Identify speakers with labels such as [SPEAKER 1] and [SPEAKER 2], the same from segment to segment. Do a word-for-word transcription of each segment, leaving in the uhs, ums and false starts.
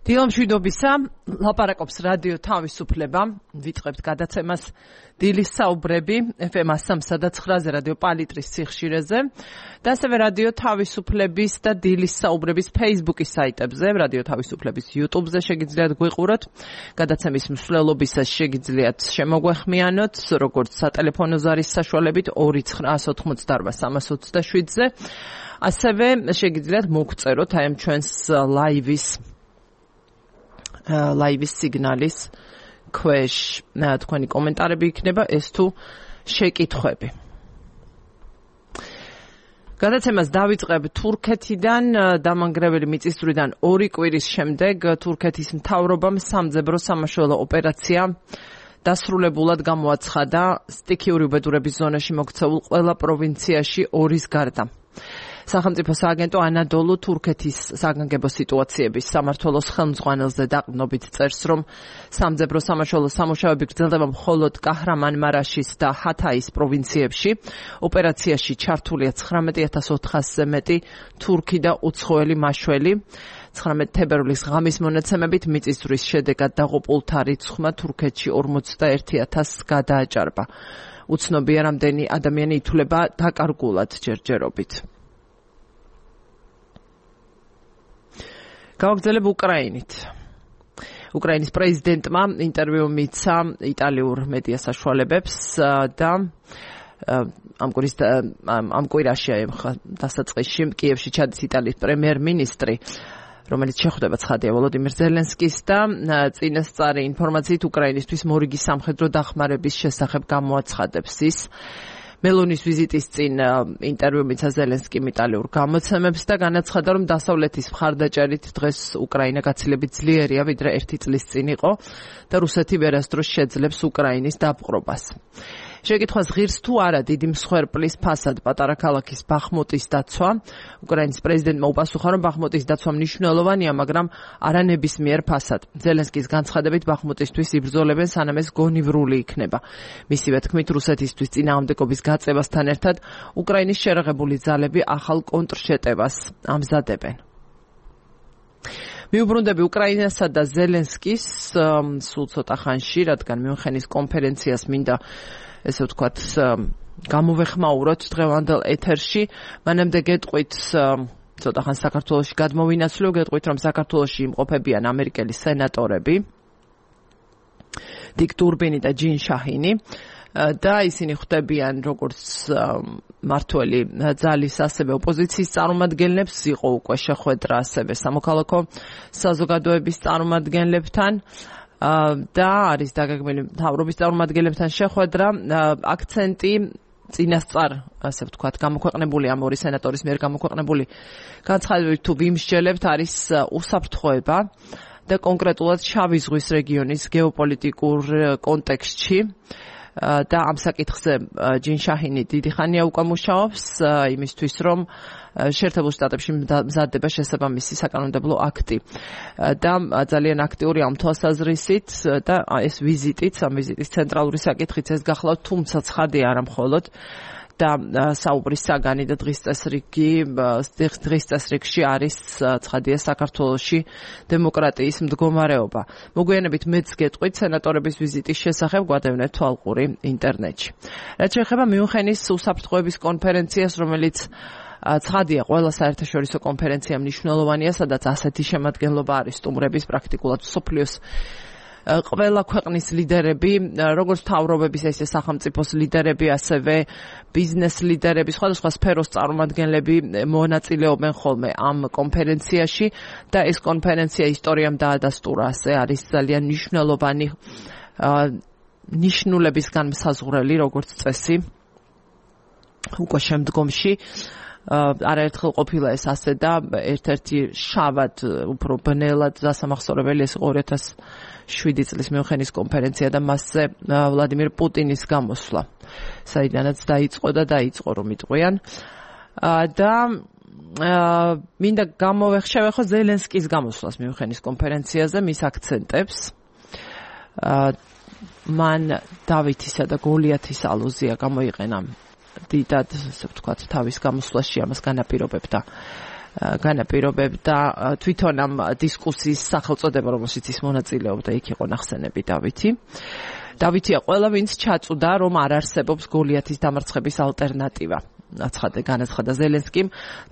[SPEAKER 1] დილამშვიდობისა, ლაპარაკობს რადიო თავისუფლება, ვიწყებთ გადაცემას დილის საუბრები ეფ ემ სამსა და ცხრაზე რადიო პალიტრის სიხშირეზე და ასევე რადიო თავისუფლების და დილის საუბრების Facebook-ის საიტებზე, რადიო თავისუფლების YouTube-ზე შეგიძლიათ გვიყუროთ, გადაცემის მსვლელობისას შეგიძლიათ შემოგვეხმიანოთ, როგორც სატელეფონო ზარის საშუალებით ორი ცხრა ოთხმოცდაორბა სამას ოცდაშვიდზე, ასევე შეგიძლიათ მოგწეროთ აი ამ ჩვენს ლაივის ლაივის სიგნალის ქვეშ თქვენი კომენტარები იქნება ეს თუ შეკითხვები. გადაცემას დავიწყებ თურქეთიდან, დამანგრეველი მიწისძვრიდან ორი კვირის შემდეგ თურქეთის მთავრობამ სამძებრო სამაშველო ოპერაცია დასრულებულად გამოაცხადა სტიქიური უბედურების ზონაში მოქცეულ ყველა პროვინციაში ორის გარდა. სახელმწიფო სააგენტო ანადოლუ თურქეთის საგანგებო სიტუაციების სამმართველოს ხელმძღვანელზე დაყრდნობით წერს, რომ სამძებრო სამაშველო სამუშაოები გრძელდება მხოლოდ კაჰრამანმარაშის და ჰათაის პროვინციებში. ოპერაციაში ჩართულია ცხრამეტი ათას ოთხასზე მეტი თურქი და უცხოელი მაშველი. ცხრამეტი თებერვლის ღამის მონაცემებით მიწისძვრის შედეგად დაღუპულთა რიცხვმა თურქეთში ორმოცდაერთი ათასს გადააჭარბა. უცნობია, რამდენი ადამიანი ითვლება დაკარგულად ჯერჯერობით. გავაგრძელებ უკრაინით. უკრაინის პრეზიდენტმა ინტერვიუ მიცა იტალიურ მედია საშუალებებს და ამ კვირის ამ კვირაში დასაწყისში კიევში ჩადის იტალიის პრემიერ-მინისტრი, რომელიც შეხვდება ცხადია ვოლოდიმირ ზელენსკის და წინასწარი ინფორმაციით უკრაინისთვის მორიგი სამხედრო დახმარების შესახებ გამოაცხადებს ის. მელონის ვიზიტის წინ ინტერვიუ მიცა ზელენსკიმ იტალიურ გამოცემებს და განაცხადა, რომ დასავლეთის მხარდაჭერით დღეს უკრაინა გაცილებით ძლიერია, ვიდრე ერთი წლის წინ იყო და რუსეთი ვერასდროს შეძლებს უკრაინის დაპყრობას. შეკითხვას ღირს თუ არა დიდი მსხვერპლის ფასად პატარა ქალაქის ბახმუტის დაცვა, უკრაინის პრეზიდენტმა უპასუხა, რომ ბახმუტის დაცვა მნიშვნელოვანია, მაგრამ არა ნებისმიერ ფასად. ზელენსკის განცხადებით ბახმუტისთვის იბრძოლებენ, სანამ ეს გონივრული იქნება. მისივე თქმით, რუსეთისთვის წინააღმდეგობის გაწევასთან ერთად უკრაინის შერაღებული ძალები ახალ კონტრშეტევას ამზადებენ. მიუბრუნდები უკრაინასა და ზელენსკის სულ ცოტა ხანში, რადგან მიუნხენის კონფერენციას მინდა ესე ვთქვათ, გამოვეხმაუროთ დღევანდელ ეთერში. მანამდე გეტყვით, ცოტა ხან საქართველოში გადმოვინაცვლო, გეტყვით, რომ საქართველოში იმყოფებიან ამერიკელი სენატორები, დიკ დურბინი და ჯინ შაჰინი და ისინი ხვდებიან როგორც მართველი ძალის, ასევე ოპოზიციის წარმომადგენლებს, იყო უკვე შეხვედრა ასევე სამოქალაქო საზოგადოების წარმომადგენლებთან და არის დაგეგმილი მთავრობის წარმომადგენლებთან შეხვედრა. აქცენტი წინასწარ, ასე ვთქვათ, გამოქვეყნებული ამ ორი სენატორის მიერ გამოქვეყნებული განცხადებით თუ ვიმსჯელებთ, არის უსაფრთხოება და კონკრეტულად შავი ზღვის რეგიონის გეოპოლიტიკურ კონტექსტში. და ამ საკითხზე ჯინ შაჰინი დიდი ხანია უკვე მუშაობს იმისთვის, რომ შეერთებულ შტატებში მზადდება შესაბამისი საკანონმდებლო აქტი და ძალიან აქტიური ამ თვალსაზრისით და ეს ვიზიტიც, ამ ვიზიტის ცენტრალური საკითხიც ეს გახლავთ, თუმცა ცხადია არა მხოლოდ და საუბრის საგანი და დღის წესრიგი დღის წესრიგში არის ცხადია საქართველოში დემოკრატიის მდგომარეობა. მოგვიანებით მეც გეტყვით სენატორების ვიზიტის შესახებ, გვადევნეთ თვალყური ინტერნეტში. რაც შეეხება მიუნხენის უსაფრთხოების კონფერენციას, რომელიც ცხადია ყველა საერთაშორისო კონფერენცია მნიშვნელოვანია, სადაც ასეთი შემადგენლობა არის სტუმრების პრაქტიკულად მსოფლიოს ყველა ქვეყნის ლიდერები, როგორც მთავრობების, ესე სახელმწიფოს ლიდერები, ასევე ბიზნეს ლიდერები, სხვადასხვა სფეროს წარმომადგენლები მონაწილეობენ ხოლმე ამ კონფერენციაში და ეს კონფერენცია ისტორიამ დაადასტურა, ასე არის ძალიან მნიშვნელოვანი ნიშნულებისგან მსაზღვრელი, როგორც წესი, უკვე შემდგომში. არაერთხელ ყოფილა ეს ასე და ერთ-ერთი შავად, უფრო ბნელად დასამახსოვრებელი ეს ორი ათას შვიდი წლის მიუნხენის კონფერენცია და მასზე ვლადიმირ პუტინის გამოსვლა, საიდანაც დაიწყო და დაიწყო რომ იტყვიან. და მინდა გამოვეხშევეხო ზელენსკის გამოსვლას მიუნხენის კონფერენციაზე, მის აქცენტებს. მან დავითისა და გოლიათის ალუზია გამოიყენა დიდად, ასე ვთქვათ, თავის გამოსვლაში ამას განაპირობებდა განაპირობებდა თვითონ ამ დისკუსიის სახელწოდება, რომელშიც ის მონაწილეობდა, იქ იყო ნახსენები დავითი. დავითია ყველა, ვინც ჩაწუდა, რომ არ არსებობს გოლიათის დამარცხების ალტერნატივა. აცხადე განაცხადა ზელენსკიმ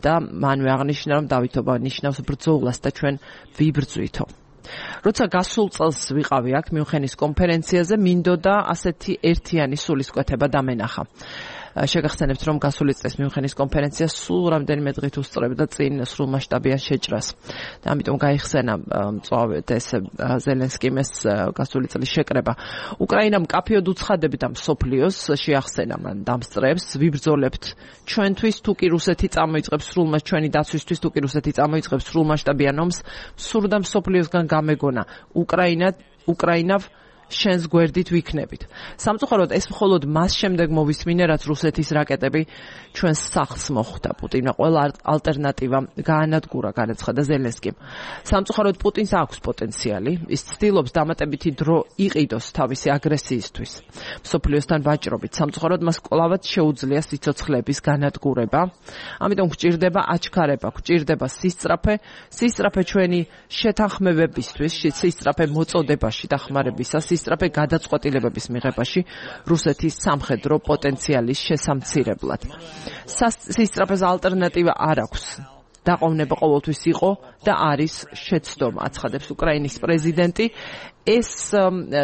[SPEAKER 1] და მანვე აღნიშნა, რომ დავითობა ნიშნავს ბრძოლას და ჩვენ ვიბრძვითო. როცა გასულ წელს ვიყავი აქ მიუნხენის კონფერენციაზე, მინდოდა ასეთი ერთიანი სულისკვეთება დამენახა. შეგახსენებთ, რომ გასული წლის მიუნხენის კონფერენცია სულ რამდენიმე დღით უსწრებდა წინ სრულმასშტაბიან შეჭრას. და ამიტომ გაიხსენა მწვავედ ეს ზელენსკიმ ეს გასული წლის შეკრება. უკრაინამ კაფეოდ უცხადებდა მსოფლიოს, შეახსენა მან დამსწრებს, ვიბრძოლებთ ჩვენთვის, თუ კი რუსეთი წამოიწყებს სრულმას ჩვენი დაცვისთვის, თუ კი რუსეთი წამოიწყებს სრულმასშტაბიან ომს, სურდა მსოფლიოსგან გამეგონა. უკრაინა უკრაინავ შენს გვერდით ვიქნებით. სამწუხაროდ ეს მხოლოდ მას შემდეგ მოვისმინე, რაც რუსეთის რაკეტები ჩვენს სახლს მოხვდა. პუტინმა ყველა ალტერნატივა გაანადგურა, განაცხადა ზელენსკიმ. სამწუხაროდ პუტინს აქვს პოტენციალი, ის ცდილობს დამატებითი დრო იყიდოს თავისი აგრესიისთვის. მსოფლიოსთან ვაჭრობით, სამწუხაროდ მას კვლავაც შეუძლია სიცოცხლეების განადგურება. ამიტომ გვჭირდება აჩქარება, გვჭირდება სისწრაფე, სისწრაფე ჩვენი შეთანხმებებისთვის, სისწრაფე მოწოდებაში დახმარებისას, სისწრაფე გადაწყვეტილებების მიღებაში რუსეთის სამხედრო პოტენციალის შესამცირებლად. სისწრაფეს ალტერნატივა არ აქვს. დაყოვნება ყოველთვის იყო და არის შეცდომა, აცხადებს უკრაინის პრეზიდენტი. ეს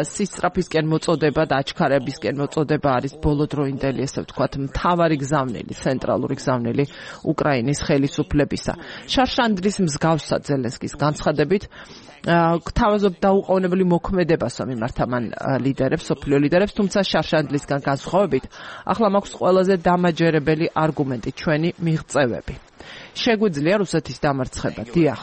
[SPEAKER 1] სისწრაფისკენ მოწოდება და აჩქარებისკენ მოწოდება არის ბოლოდროინდელი, ესე ვთქვათ, მთავარი გზავნილი, ცენტრალური გზავნილი უკრაინის ხელისუფლებისა. შარშანდლის მსგავსად ზელენსკის განცხადებით გთავაზობ დაუყოვნებელი მოქმედებას მიმართა მან ლიდერებს, სოფლიო ლიდერებს, თუმცა შარშანდლისგან განსხვავებით, ახლა მაქვს ყველაზე დამაჯერებელი არგუმენტი, ჩვენი მიღწევები. შეგვიძლია რუსეთის დამარცხება, დიახ.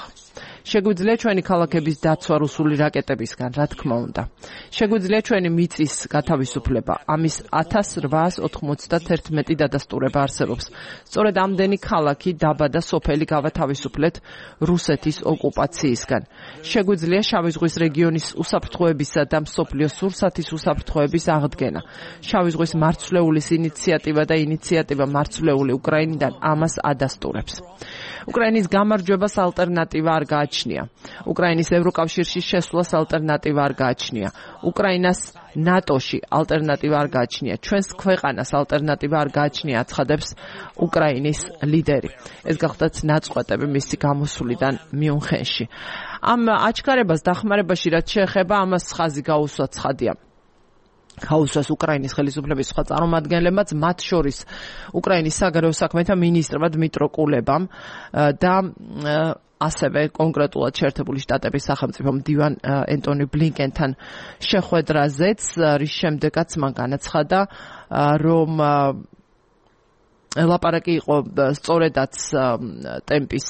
[SPEAKER 1] შეგვიძლია ჩვენი ქალაქების დაცვა რუსული რაკეტებისგან, რა თქმა უნდა. შეგვიძლია ჩვენი მიწის გათავისუფლება. ამის ათას რვაას ოთხმოცდაათი დადასტურება არსებობს. სწორედ ამდენი ქალაქი, დაბა და სოფელი გავათავისუფლეთ რუსეთის ოკუპაციისგან. შეგვიძლია შავი ზღვის რეგიონის უსაფრთხოებისა და მსოფლიოს სურსათის უსაფრთხოების აღდგენა. შავი ზღვის მარცვლეულის ინიციატივა და ინიციატივა მარცვლეული უკრაინიდან ამას ადასტურებს. უკრაინის გამარჯვებას ალტერნატივა არ გააჩნია. უკრაინის ევროკავშირში შესვლას ალტერნატივა არ გააჩნია. უკრაინას ნატოში ალტერნატივა არ გააჩნია. ჩვენს ქვეყანას ალტერნატივა არ გააჩნია, აცხადებს უკრაინის ლიდერი. ეს გახლდათ ნაწყვეტები მისი გამოსვლიდან მიუნხენში. ამ აჩქარებას დახმარებაში რაც შეეხება, ამას ხაზი გაუსვა ცხადია. გაუსვას უკრაინის ხელისუფლების სხვა წარმომადგენლებმაც, მათ შორის უკრაინის საგარეო საქმეთა მინისტრმა დმიტრო კულებამ და ასევე კონკრეტულად შეერთებული შტატების სახელმწიფო მდივან ენტონი ბლინკენთან შეხვედრაზეც, რის შემდეგაც მან განაცხადა, რომ ლაპარაკი იყო სწორედაც ტემპის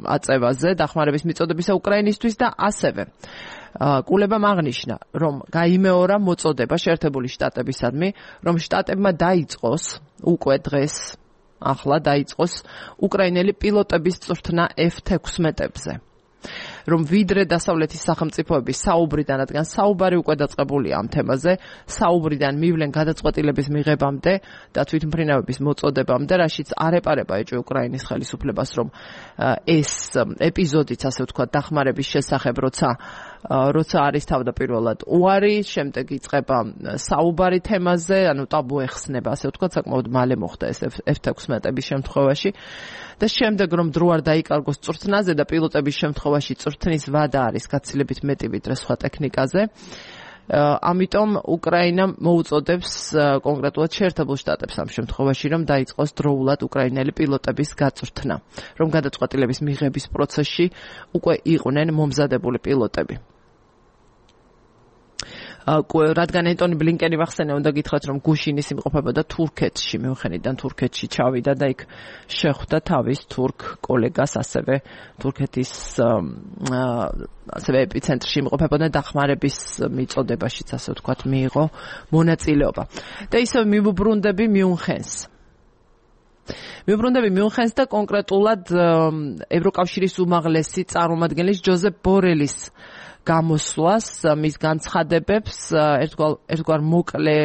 [SPEAKER 1] აწევაზე, დახმარების მიწოდებისა უკრაინისთვის და ასევე კულებამ აღნიშნა, რომ გაიმეორა მოწოდება შეერთებული შტატებისადმი, რომ შტატებმა დაიწყოს უკვე დღეს, ახლა დაიწყოს უკრაინელი პილოტების წვრთნა ეფ თექვსმეტებზე. რომ ვიდრე დასავლეთის სახელმწიფოების საუბრიდან, რადგან საუბარი უკვე დაწყებულია ამ თემაზე, საუბრიდან მივლენ გადაწყვეტილების მიღებამდე და თვითმფრინავების მოწოდებამდე, რაშიც არ ეპარება ეჭვი უკრაინის ხელისუფლებას, რომ ეს ეპიზოდიც, ასე ვთქვათ, დახმარების შესახებ, როცა როცა არის თავდაპირველად უარი, შემდეგ იწყება საუბარი თემაზე, ანუ ტაბუ ეხსნება, ასე ვთქვათ, საკმაოდ მალე მოხდა ეს ეფ თექვსმეტების შემთხვევაში. და შემდეგ რომ დრო არ დაიკარგოს წვრთნაზე და პილოტების შემთხვევაში წვრთნის ვადა არის გაცილებით მეტი ვიდრე სხვა ტექნიკაზე. ამიტომ უკრაინა მოუწოდებს კონკრეტულად შეერთებულ შტატებს ამ შემთხვევაში, რომ დაიწყოს დროულად უკრაინელი პილოტების გაწვრთნა, რომ გადაწყვეტილების მიღების პროცესში უკვე იყვნენ მომზადებული პილოტები. რადგან ენტონი ბლინკენი ვახსენე, უნდა გითხრათ, რომ გუშინის იმყოფებოდა თურქეთში, მიუნხენიდან თურქეთში ჩავიდა და იქ შეხვდა თავის თურქ კოლეგას, ასევე თურქეთის ასევე ეპიცენტრში იმყოფებოდა დახმარების მიწოდებაშიც, ასე ვთქვათ, მიიღო მონაწილეობა. და ისევ მივუბრუნდები მიუნხენს. მივუბრუნდები მიუნხენს და კონკრეტულად ევროკავშირის უმაღლესი წარმომადგენლის ჯოზეფ ბორელის გამოსვლას, მის განცხადებებს, ერთგვარ მოკლე,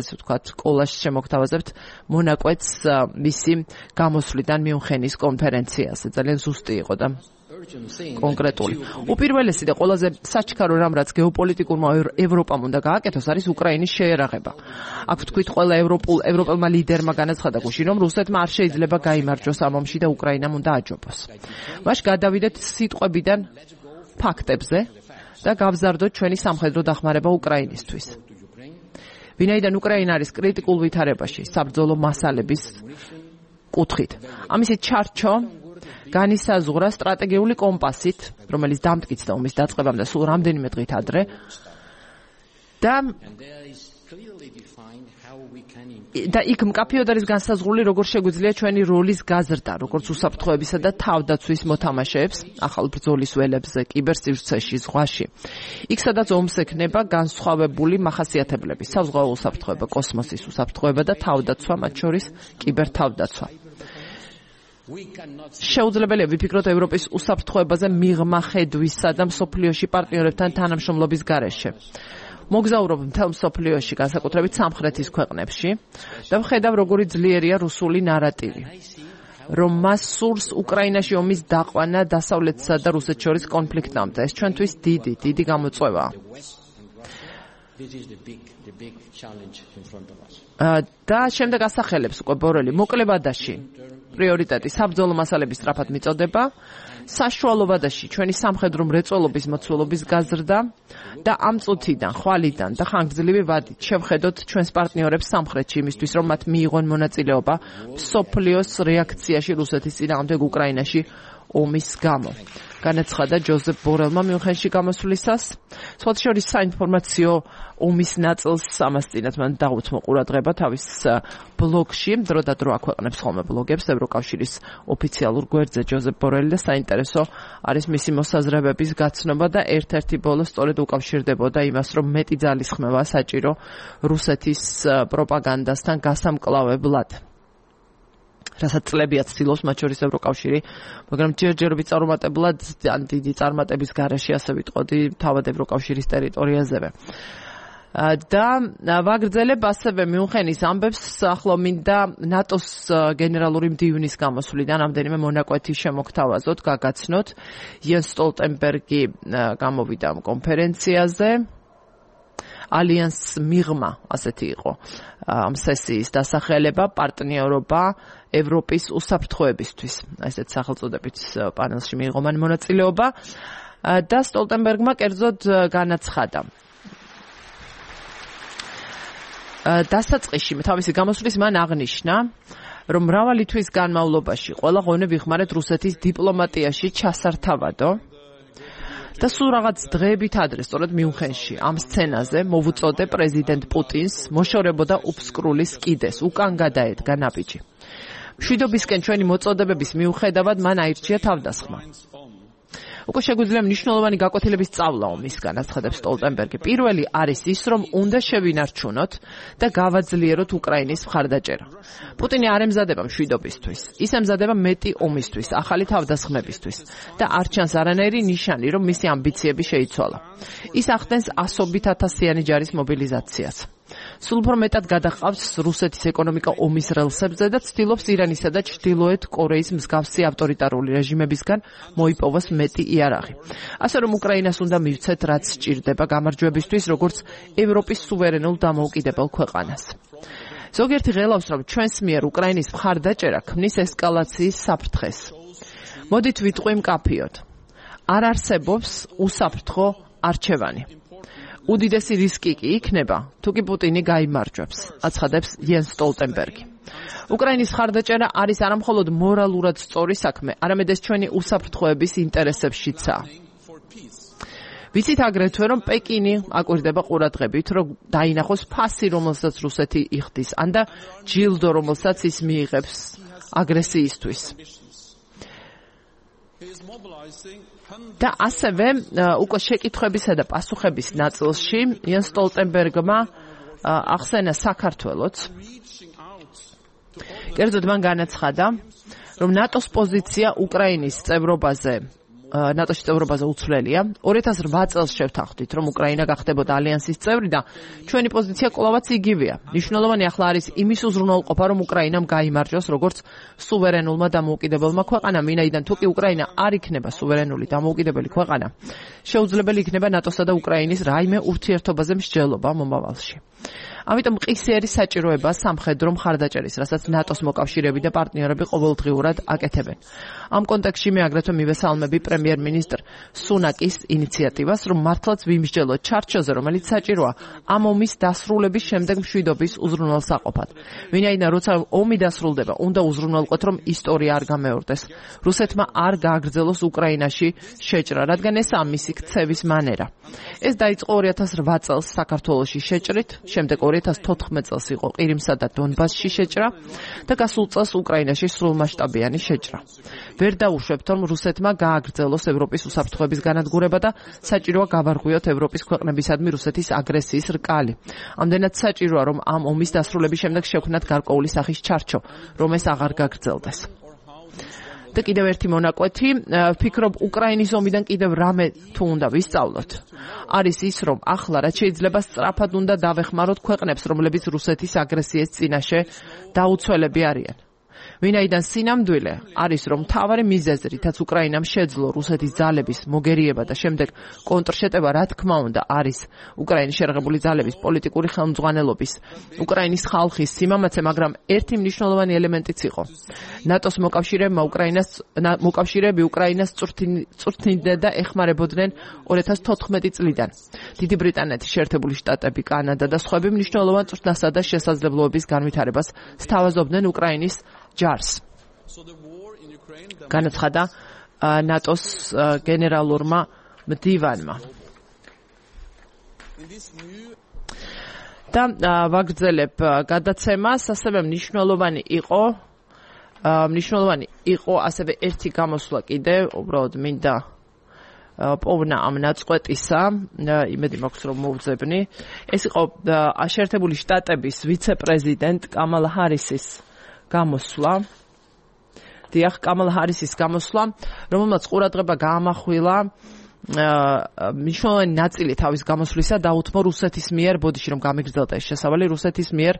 [SPEAKER 1] ასე ვთქვათ, კოლაჟს შემოგთავაზებთ მონაკვეთს მისი გამოსვლიდან მიუნხენის კონფერენციაზე. ძალიან ზუსტი იყო და კონკრეტული. უპირველესი და ყველაზე საჩქარო რამ, რაც გეოპოლიტიკურმა ევროპამ უნდა გააკეთოს, არის უკრაინის შეერაღება. აქ ვთქვით, ყველა ევროპულ ევროპელმა ლიდერმა განაცხადა გუშინ, რომ რუსეთმა არ შეიძლება გაიმარჯვოს ამ ომში და უკრაინამ უნდა აჯობოს. მაშ გადავიდეთ სიტყვებიდან ფაქტებზე და გავზარდოთ ჩვენი სამხედრო დახმარება უკრაინისთვის. ვინაიდან უკრაინა არის კრიტიკულ ვითარებაში საბრძოლო მასალების კუთხით. ამისით ჩარჩო განისაზღვრა სტრატეგიული კომპასით, რომელიც დამტკიცდა ომის დაწყებამდე სულ რამდენიმე დღით ადრე და და იქ მკაფიოდ არის განსაზღვრული, როგორ შეგვიძლია ჩვენი როლის გაზრდა, როგორც უსაფრთხოებისა და თავდაცვის მოთამაშეებს, ახალ ბრძოლის ველებზე, კიბერსივრცეში, ზღვაში. იქ სადაც ომს ექნება განსხვავებული მახასიათებლები, საზღვაო უსაფრთხოება, კოსმოსის უსაფრთხოება და თავდაცვა, მათ შორის კიბერთავდაცვა. შეუძლებელია ვიფიქროთ ევროპის უსაფრთხოებაზე მიღმა ხედვისა და მსოფლიოში პარტნიორებთან თანამშრომლობის გარეშე. მოგზაურობ მთელ მსოფლიოში, განსაკუთრებით სამხრეთის ქვეყნებში და ვხედავ, როგორი ძლიერია რუსული ნარატივი, რომ მას სურს უკრაინაში ომის დაყვანა დასავლეთსა და რუსეთს შორის კონფლიქტამდე. ეს ჩვენთვის დიდი, დიდი გამოწვევაა. და შემდეგ ასახელებს უკვე ბორელი მოკლე ვადაში პრიორიტეტი საბრძოლო მასალების სწრაფად მიწოდება, საშუალო ვადაში ჩვენი სამხედრო მრეწველობის მოცულობის გაზრდა და ამ წუთიდან, ხვალიდან და ხანგრძლივი ვადით შევხედოთ ჩვენს პარტნიორებს სამხრეთში იმისთვის, რომ მათ მიიღონ მონაწილეობა მსოფლიოს რეაქციაში რუსეთის წინააღმდეგ უკრაინაში ომის გამო. განაცხადა ჯოზეფ ბორელმა მიუნხენში გამოსვლისას. სხვათა შორის საინფორმაციო ომის ნაწილს ამასწინათ მან დაუთმო ყურადღება თავის ბლოგში, დრო და დრო აქვეყნებს ხოლმე ბლოგებს ევროკავშირის ოფიციალურ გვერდზე ჯოზეფ ბორელი და საინტერესო არის მისი მოსაზრებების გაცნობა და ერთ-ერთი ბოლო სწორედ უკავშირდებოდა იმას, რომ მეტი ძალისხმევა საჭირო რუსეთის პროპაგანდასთან გასამკლავებლად. რასაც წლებია ცდილობს მათ შორის ევროკავშირი, მაგრამ ჯერჯერობით წარუმატებლად ან დიდი წარმატების გარეშე ასე ვიტყოდი თავად ევროკავშირის ტერიტორიაზევე. და ვაგრძელებ ასევე მიუნხენის ამბებს, ახლა მინდა ნატოს გენერალური მდივნის გამოსვლიდან რამდენიმე მონაკვეთი შემოგთავაზოთ, გაგაცნოთ. იენს სტოლტენბერგი გამოვიდა ამ კონფერენციაზე. ალიანს მიღმა, ასეთი იყო ამ სესიის დასახელება, პარტნიორობა ევროპის უსაფრთხოებისთვის. ესეთ სახელწოდებით პანელში მიიღო მან მონაწილეობა და სტოლტენბერგმა კერძოდ განაცხადა. დასაწყისში თავისი გამოსვლის მან აღნიშნა, რომ მრავალი თვის განმავლობაში ყველა ღონე ვიხმარეთ რუსეთის დიპლომატიაში ჩასართავადო და სულ რაღაც დღეებით ადრე, სწორედ მიუნხენში, ამ სცენაზე მოვუწოდე პრეზიდენტ პუტინს მოშორებოდა უფსკრულის კიდეს, უკან გადაედგა ნაბიჯი. მშვიდობისკენ ჩვენი მოწოდებების მიუხედავად მან აირჩია თავდასხმა. უკვე შეგვიძლია მნიშვნელოვანი გაკვეთილების სწავლა ომისგან, აცხადებს სტოლტენბერგი. პირველი არის ის, რომ უნდა შევინარჩუნოთ და გავაძლიეროთ უკრაინის მხარდაჭერა. პუტინი არ ემზადება მშვიდობისთვის, ის ემზადება მეტი ომისთვის, ახალი თავდასხმებისთვის და არ ჩანს არანაირი ნიშანი, რომ მისი ამბიციები შეიცვალა. ის ახდენს ასობით ათასიანი ჯარის მობილიზაციას. სულ უფრო მეტად გადაყავს რუსეთის ეკონომიკა ომის რელსებზე და ცდილობს ირანისა და ჩრდილოეთ კორეის მსგავსი ავტორიტარული რეჟიმებისგან მოიპოვოს მეტი იარაღი. ასე რომ უკრაინას უნდა მივცეთ, რაც სჭირდება გამარჯვებისთვის, როგორც ევროპის სუვერენულ დამოუკიდებელ ქვეყანას. ზოგიერთი ღელავს, რომ ჩვენს მიერ უკრაინის მხარდაჭერა ქმნის ესკალაციის საფრთხეს. მოდით ვიტყვი მკაფიოდ. არ არსებობს უსაფრთხო არჩევანი. უდიდესი რისკი კი იქნება, თუ კი პუტინი გაიმარჯვებს, აცხადებს იენს სტოლტენბერგი. უკრაინის მხარდაჭერა არის არამხოლოდ მორალურად სწორი საქმე, არამედ ეს ჩვენი უსაფრთხოების ინტერესებშიცაა. ვიცით აგრეთვე, რომ პეკინი აკვირდება ყურადღებით, რომ დაინახოს ფასი, რომელსაც რუსეთი იხდის, ან და ჯილდო, რომელსაც ის მიიღებს აგრესიისთვის. და ასევე უკვე შეკითხვებისა და პასუხების ნაწილში იენს სტოლტენბერგმა ახსენა საქართველოც. კერძოდ მან განაცხადა, რომ ნატოს პოზიცია უკრაინის წევრობაზე ნატოში წევრობაზე უცვლელია. ორი ათას რვა წელს შევთანხმდით, რომ უკრაინა გახდებოდა ალიანსის წევრი და ჩვენი პოზიცია კვლავაც იგივეა. მნიშვნელოვანი ახლა არის იმის უზრუნველყოფა, რომ უკრაინამ გაიმარჯვოს როგორც სუვერენულმა დამოუკიდებელმა ქვეყანამ, ვინაიდან თუ კი უკრაინა არ იქნება სუვერენული დამოუკიდებელი ქვეყანა, შეუძლებელი იქნება ნატოსა და უკრაინის რაიმე ურთიერთობაზე მსჯელობა მომავალში. ამიტომ მყისი არის საჭიროება სამხედრო მხარდაჭერის, რასაც ნატოს მოკავშირეები და პარტნიორები ყოველდღიურად აკეთებენ. ამ კონტექსტში მე აგრეთვე მივესალმები პრემიერ-მინისტრ სუნაკის ინიციატივას, რომ მართლაც ვიმსჯელოთ ჩარჩოზე, რომელიც საჭიროა ამ ომის დასრულების შემდეგ მშვიდობის უზრუნველსაყოფად. ვინაიდან როცა ომი დასრულდება, უნდა უზრუნველყოთ, რომ ისტორია არ გამეორდეს. რუსეთმა არ გააგრძელოს უკრაინაში შეჭრა, რადგან ესაა მისი ქცევის მანერა. ეს დაიწყო ორი ათას რვა წელს საქართველოში შეჭრით, შემდეგ ორი ათას თოთხმეტ წელს იყო ყირიმსა და დონბასში შეჭრა და გასულ წელს უკრაინაში სრულმასშტაბიანი შეჭრა. ვერ დავუშვებთ, რომ რუსეთმა გააგრძელოს ევროპის უსაფრთხოების განადგურება და საჭიროა გავარღვიოთ ევროპის ქვეყნებისადმი რუსეთის აგრესიის რკალი. ამდენად საჭიროა, რომ ამ ომის დასრულების შემდეგ შევქმნათ გარკვეული სახის ჩარჩო, რომ ეს აღარ გაგრძელდეს. და კიდევ ერთი მონაკვეთი, ვფიქრობ, უკრაინის ომიდან კიდევ რამე თუ უნდა ვისწავლოთ. არის ის, რომ ახლა რაც შეიძლება სწრაფად უნდა დავეხმაროთ ქვეყნებს, რომლებიც რუსეთის აგრესიის წინაშე დაუცველები არიან. ვინაიდან სინამდვილე არის, რომ მთავარი მიზეზი, რითაც უკრაინამ შეძლო რუსეთის ძალების მოგერიება და შემდეგ კონტრშეტევა, რა თქმა უნდა, არის უკრაინის შერღებული ძალების პოლიტიკური ხელმძღვანელობის, უკრაინის ხალხის სიმამაცე, მაგრამ ერთი მნიშვნელოვანი ელემენტიც იყო. ნატოს მოკავშირეებმა უკრაინას მოკავშირეები უკრაინას წვრთნიდნენ და ეხმარებოდნენ ორი ათას თოთხმეტი წლიდან. დიდი ბრიტანეთი, შეერთებული შტატები, კანადა და სხვები მნიშვნელოვან წვრთნასა და შესაძლებლობების განვითარებას სთავაზობდნენ უკრაინის ჯარს. განაცხადა ნატოს გენერალურმა მდივანმა. და ვაგრძელებ გადაცემას, ასევე მნიშვნელოვანი იყო მნიშვნელოვანი იყო ასევე ერთი გამოსვლა კიდე, უბრალოდ მინდა პოვნა ამ ნაწყვეტისა, იმედი მაქვს რომ მოვძებნი. ეს იყო შეერთებული შტატების ვიცე-პრეზიდენტ კამალა ჰარისის გამოსვლა. დიახ, კამალა ჰარისის გამოსვლა, რომელმაც ყურადღება გაამახვილა მნიშვნელოვანი ნაწილი თავის გამოსვლისა დაუთმო რუსეთის მიერ, ბოდიში რომ გამიგრძელდა ეს შესავალი, რუსეთის მიერ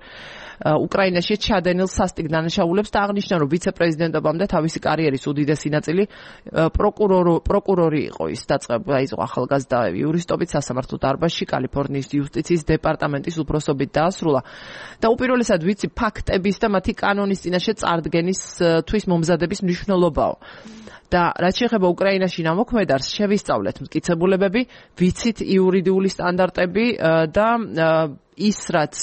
[SPEAKER 1] უკრაინაში ჩადენილ სასტიკ დანაშაულებს და აღნიშნა, რომ ვიცე-პრეზიდენტობამდე თავისი კარიერის უდიდესი ნაწილი პროკურორი იყო. ის დაწყება ახალგაზრდა იურისტობით სასამართლო დარბაზში, კალიფორნიის იუსტიციის დეპარტამენტის უფროსობით დაასრულა და უპირველესად ვიცი ფაქტების და მათი კანონის წინაშე წარდგენის თვის მომზადების მნიშვნელობაო. და რაც შეეხება უკრაინაში ნამოქმედარს, შევისწავლეთ მტკიცებულებები, ვიცით იურიდიული სტანდარტები და ის, რაც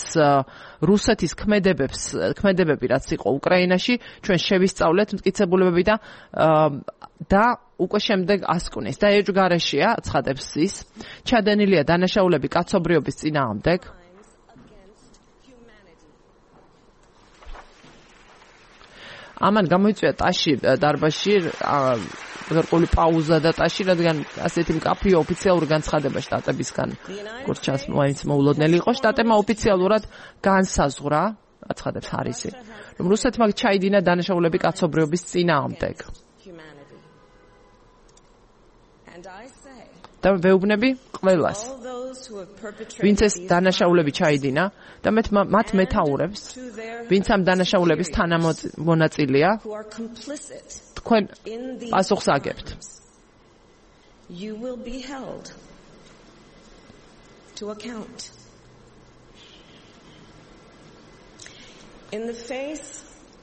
[SPEAKER 1] რუსეთის ქმედებებს, ქმედებები რაც იყო უკრაინაში, ჩვენ შევისწავლეთ მტკიცებულებები და და უკვე შემდეგ ასკვნეს. და ეჯგარეშია, ცხადებს ის, ჩადენილია დანაშაულები კაცობრიობის წინააღმდეგ. ამან გამოიწვია ტაში დარბაზში გარკვეული პაუზა და ტაში, რადგან ასეთი მკაფიო ოფიციალური განცხადება შტატებისგან, როგორც ჩანს, მაინც მოულოდნელი იყო. შტატებმა ოფიციალურად განსაზღვრა, აცხადებს ჰარისი, რომ რუსეთმა ჩაიდინა დანაშაულები კაცობრიობის წინააღმდეგ. და ვეუბნები ყველას, ვინც ეს დანაშაულები ჩაიდინა და მათ მეთაურებს, ვინც ამ დანაშაულების თანამონაწილეა, თქვენ პასუხს აგებთ.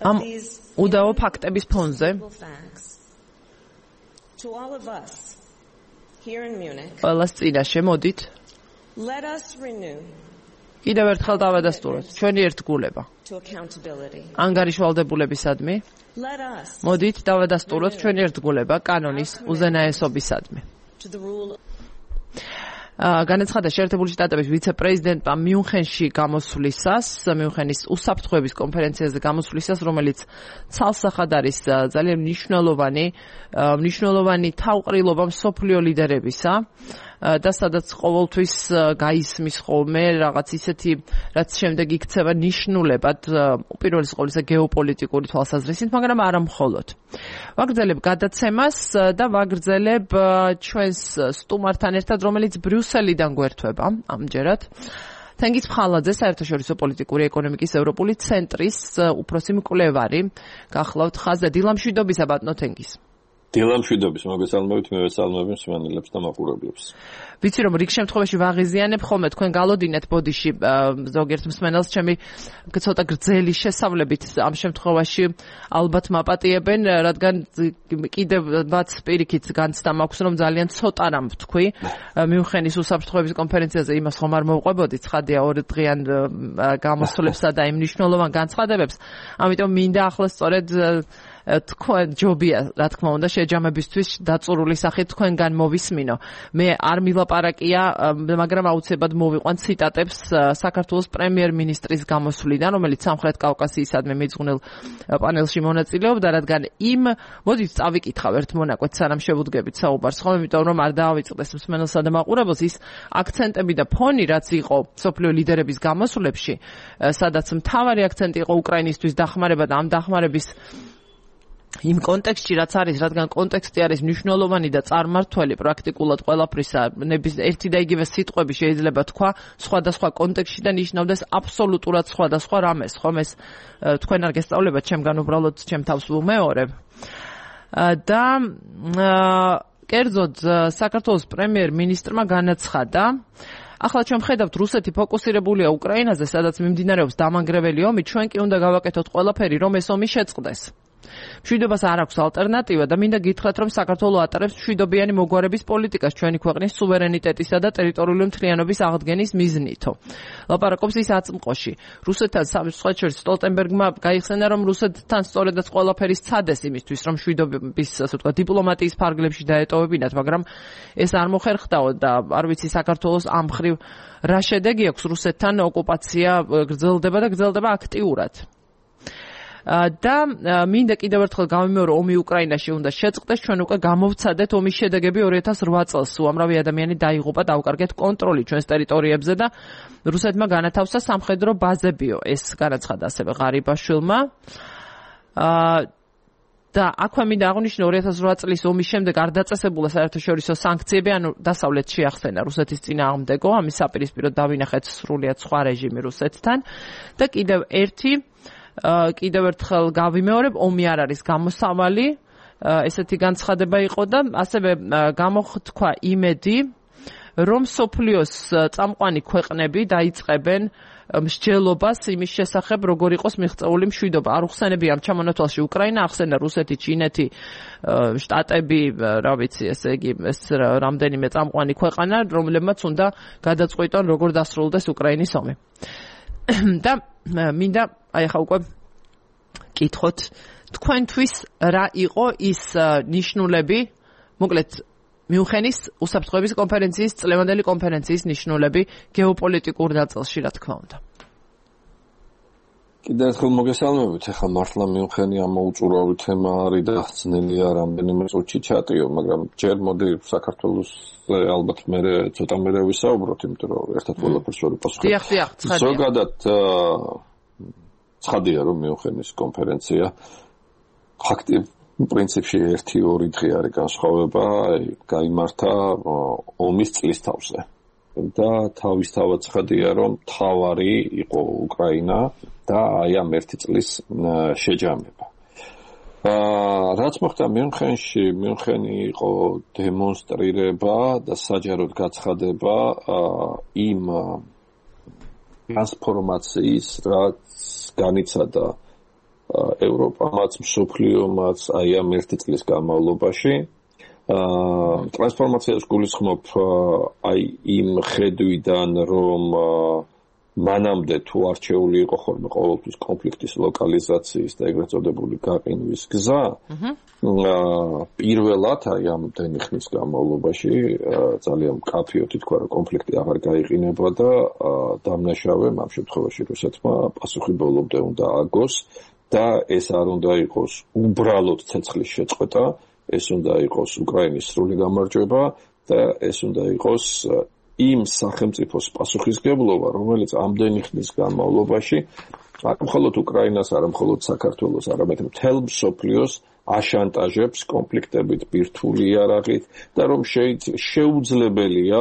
[SPEAKER 1] ამ უდაო ფაქტების ფონზე ყველას წინაშე მოდით კიდევ ერთხელ დავადასტუროთ ჩვენი ერთგულება ანგარიშვალდებულებისადმი. მოდით დავადასტუროთ ჩვენი ერთგულება კანონის უზენაესობისადმი. განაცხადა შეერთებული შტატების ვიცე-პრეზიდენტმა მიუნხენში გამოსვლისას, მიუნხენის უსაფრთხოების კონფერენციაზე გამოსვლისას, რომელიც ცალსახად არის ძალიან მნიშვნელოვანი, მნიშვნელოვანი თავყრილობა მსოფლიო ლიდერებისა, და სადაც ყოველთვის გაისმის ხოლმე რაღაც ისეთი, რაც შემდეგ იქცევა ნიშნულებად უპირველეს ყოვლისა გეოპოლიტიკური თვალსაზრისით, მაგრამ არა მხოლოდ. ვაგრძელებ გადაცემას და ვაგრძელებ ჩვენს სტუმართან ერთად, რომელიც ბრიუსელიდან გვერდება ამჯერად. თენგიზ ფხალაძე, საერთაშორისო პოლიტიკური ეკონომიკის ევროპული ცენტრის უფროსი მკვლევარი. გახლავთ ხაზზე. დილამშვიდობისა ბატონო თენგიზ.
[SPEAKER 2] დილამშვიდობის, მოგესალმებით, მე ვესალმები მსმენელებს და მაყურებლებს.
[SPEAKER 1] ვიცი რომ რიგ შემთხვევაში ვაღიზიანებ ხოლმე თქვენ galodinat ბოდიში ზოგიერთ მსმენელს ჩემი ცოტა გრძელი შესავლებით ამ შემთხვევაში ალბათ მაპატიებენ, რადგან კიდევაც პირიქით განცდა მაქვს რომ ძალიან ცოტა რამ ვთქვი მიუნხენის უსაფრთხოების კონფერენციაზე იმას ხომ არ მოვყვებოდი ცხადია ორი დღიან გამოსვლებსა და იმ მნიშვნელოვან განცხადებებს, ამიტომ მინდა ახლა სწორედ თქვენ ჯობია რა თქმა უნდა შეჯამებისთვის დაწურული სახით თქვენგან მოვისმინო. მე არ მილაპარაკია, მაგრამ აუცილებლად მოვიყვან ციტატებს საქართველოს პრემიერ-მინისტრის გამოსვლიდან, რომელიც სამხრეთ კავკასიისადმი მიძღვნილ პანელში მონაწილეობდა, რადგან იმ მოდით წავიკითხავ ერთ მონაკვეთ სანამ შევუდგებით საუბარს, ხოლმე იმიტომ რომ არ დაავიწყდეს მსმენელსა და მაყურებელს ის აქცენტები და ფონი, რაც იყო სოფლიო ლიდერების გამოსვლებში, სადაც მთავარი აქცენტი იყო უკრაინისთვის დახმარება და ამ დახმარების იმ კონტექსტში რაც არის, რადგან კონტექსტი არის მნიშვნელოვანი და წარმართველი პრაქტიკულად ყველაფრისა, ნების ერთი და იგივე სიტყვები შეიძლება თქვა სხვადასხვა კონტექსტში და ნიშნავდეს აბსოლუტურად სხვადასხვა რამეს. ხომ ეს თქვენ არ გესწავლებათ, ჩემგან უბრალოდ ჩემ თავს ვუმეორებ. და კერძოდ საქართველოს პრემიერ-მინისტრმა განაცხადა, ახლა ჩვენ ხედავთ რუსეთი ფოკუსირებულია უკრაინაზე, სადაც მიმდინარეობს დამანგრეველი ომი, ჩვენ კი უნდა გავაკეთოთ ყველაფერი, რომ ეს ომი შეწყდეს. მშვიდობას არ აქვს ალტერნატივა და მინდა გითხრათ, რომ საქართველო ატარებს მშვიდობიანი მოგვარების პოლიტიკას ჩვენი ქვეყნის სუვერენიტეტისა და ტერიტორიული მთლიანობის აღდგენის მიზნითო. ლაპარაკობს ის აწმყოში. რუსეთთან სამშვიდობის სტოლტენბერგმა გაიხსენა, რომ რუსეთთან სწორედაც ყველაფერი სცადეს იმისთვის, რომ მშვიდობის, ასე ვთქვათ, დიპლომატიის ფარგლებში დაეტოვებინათ, მაგრამ ეს არ მოხერხდაო და არ ვიცი საქართველოს ამ მხრივ რა შედეგი აქვს რუსეთთან ოკუპაცია გრძელდება და გრძელდება აქტიურად. და მინდა კიდევ ერთხელ გავიმეორო, ომი უკრაინაში უნდა შეწყდეს, ჩვენ უკვე გამოვცადეთ ომის შედეგები ორი ათას ოთხ წელს, უამრავი ადამიანი დაიღუპა, დავკარგეთ კონტროლი ჩვენს ტერიტორიებზე და რუსეთმა განათავსა სამხედრო ბაზებიო. ეს განაცხადა ასევე ღარიბაშვილმა. და აქვე მინდა აღვნიშნო, ორი ათას ოთხ წლის ომის შემდეგ არ დაწესებულა საერთაშორისო სანქციები, ანუ დასავლეთში ახსენა რუსეთის წინააღმდეგო, ამის საპირისპიროდ დავინახეთ სრულიად სხვა რეჟიმი რუსეთთან და კიდევ ერთი კიდევ ერთხელ გავიმეორებ, ომი არ არის გამოსავალი, ესეთი განცხადება იყო და ასევე გამოხთქვა იმედი, რომ სოფლიოს წამყვანი ქვეყნები დაიწყებენ მსჯელობას იმის შესახებ, როგორ იყოს მიღწეული მშვიდობა. არ უხსენებია ამ ჩამონათვალში უკრაინა, ახსენა რუსეთი, ჩინეთი, შტატები, რა ვიცი, ესე იგი, ეს რამდენიმე წამყვანი ქვეყანა, რომლებმაც უნდა გადაწყვიტონ, როგორ დასრულდეს უკრაინის ომი. და მინდა აი ახლა უკვე კითხოთ თქვენთვის რა იყო ის ნიშნულები, მოკლედ მიუნხენის უსაფრთხოების კონფერენციის, წლევანდელი კონფერენციის ნიშნულები გეოპოლიტიკურ ნაწილში, რა თქმა უნდა.
[SPEAKER 2] კიდევ ერთხელ მოგესალმებით, ახლა მართლა მიუნხენი ამოუწურავი თემა არის და ძნელია რამდენიმე წუთში ჩატიო, მაგრამ ჯერ მოდი საქართველოს ალბათ მე ცოტა მერე ვისაუბროთ, იმიტომ რომ ერთად ყველაფერს ვერ ვიპასუხებ.
[SPEAKER 1] დიახ, დიახ, ცხადია.
[SPEAKER 2] ზოგადად ცხადია, რომ მიუნხენის კონფერენცია ფაქტი პრინციპში ერთი ორი დღე არის განსხვავება, გაიმართა ომის წლისთავზე. და თავისთავად ცხადია, რომ თავარი იყო უკრაინა და აი ამ ერთი წლის შეჯამება. აა რაც მოხდა მიუნხენში, მიუნხენი იყო დემონსტრირება და საჯაროდ გაცხადება იმ ტრანსფორმაციის, რაც განიცადა ევროპამაც, მსოფლიომაც აი ამ ერთი წლის განმავლობაში. აა ტრანსფორმაციას გულისხმობ აი იმ ხედვიდან, რომ მანამდე თუ არჩეული იყო ხოლმე ყოველთვის კონფლიქტის ლოკალიზაციის და ეგრეთ წოდებული გაყინვის გზა, აა პირველად აი ამ დენი ხნის განმავლობაში ძალიან მკაფიოდ ითქვა, რომ კონფლიქტი აღარ გაიყინება და დამნაშავე ამ შემთხვევაში რუსეთმა პასუხი ბოლომდე უნდა აგოს და ეს არ უნდა იყოს უბრალოდ ცეცხლის შეწყვეტა, ეს უნდა იყოს უკრაინის სრული გამარჯვება და ეს უნდა იყოს იმ სახელმწიფოს პასუხისგებლობა, რომელიც ამდენი ხნის განმავლობაში არ მხოლოდ უკრაინას, არ მხოლოდ საქართველოს, არამედ მთელ მსოფლიოს აშანტაჟებს კონფლიქტებით, ბირთვული იარაღით და რომ შეუძლებელია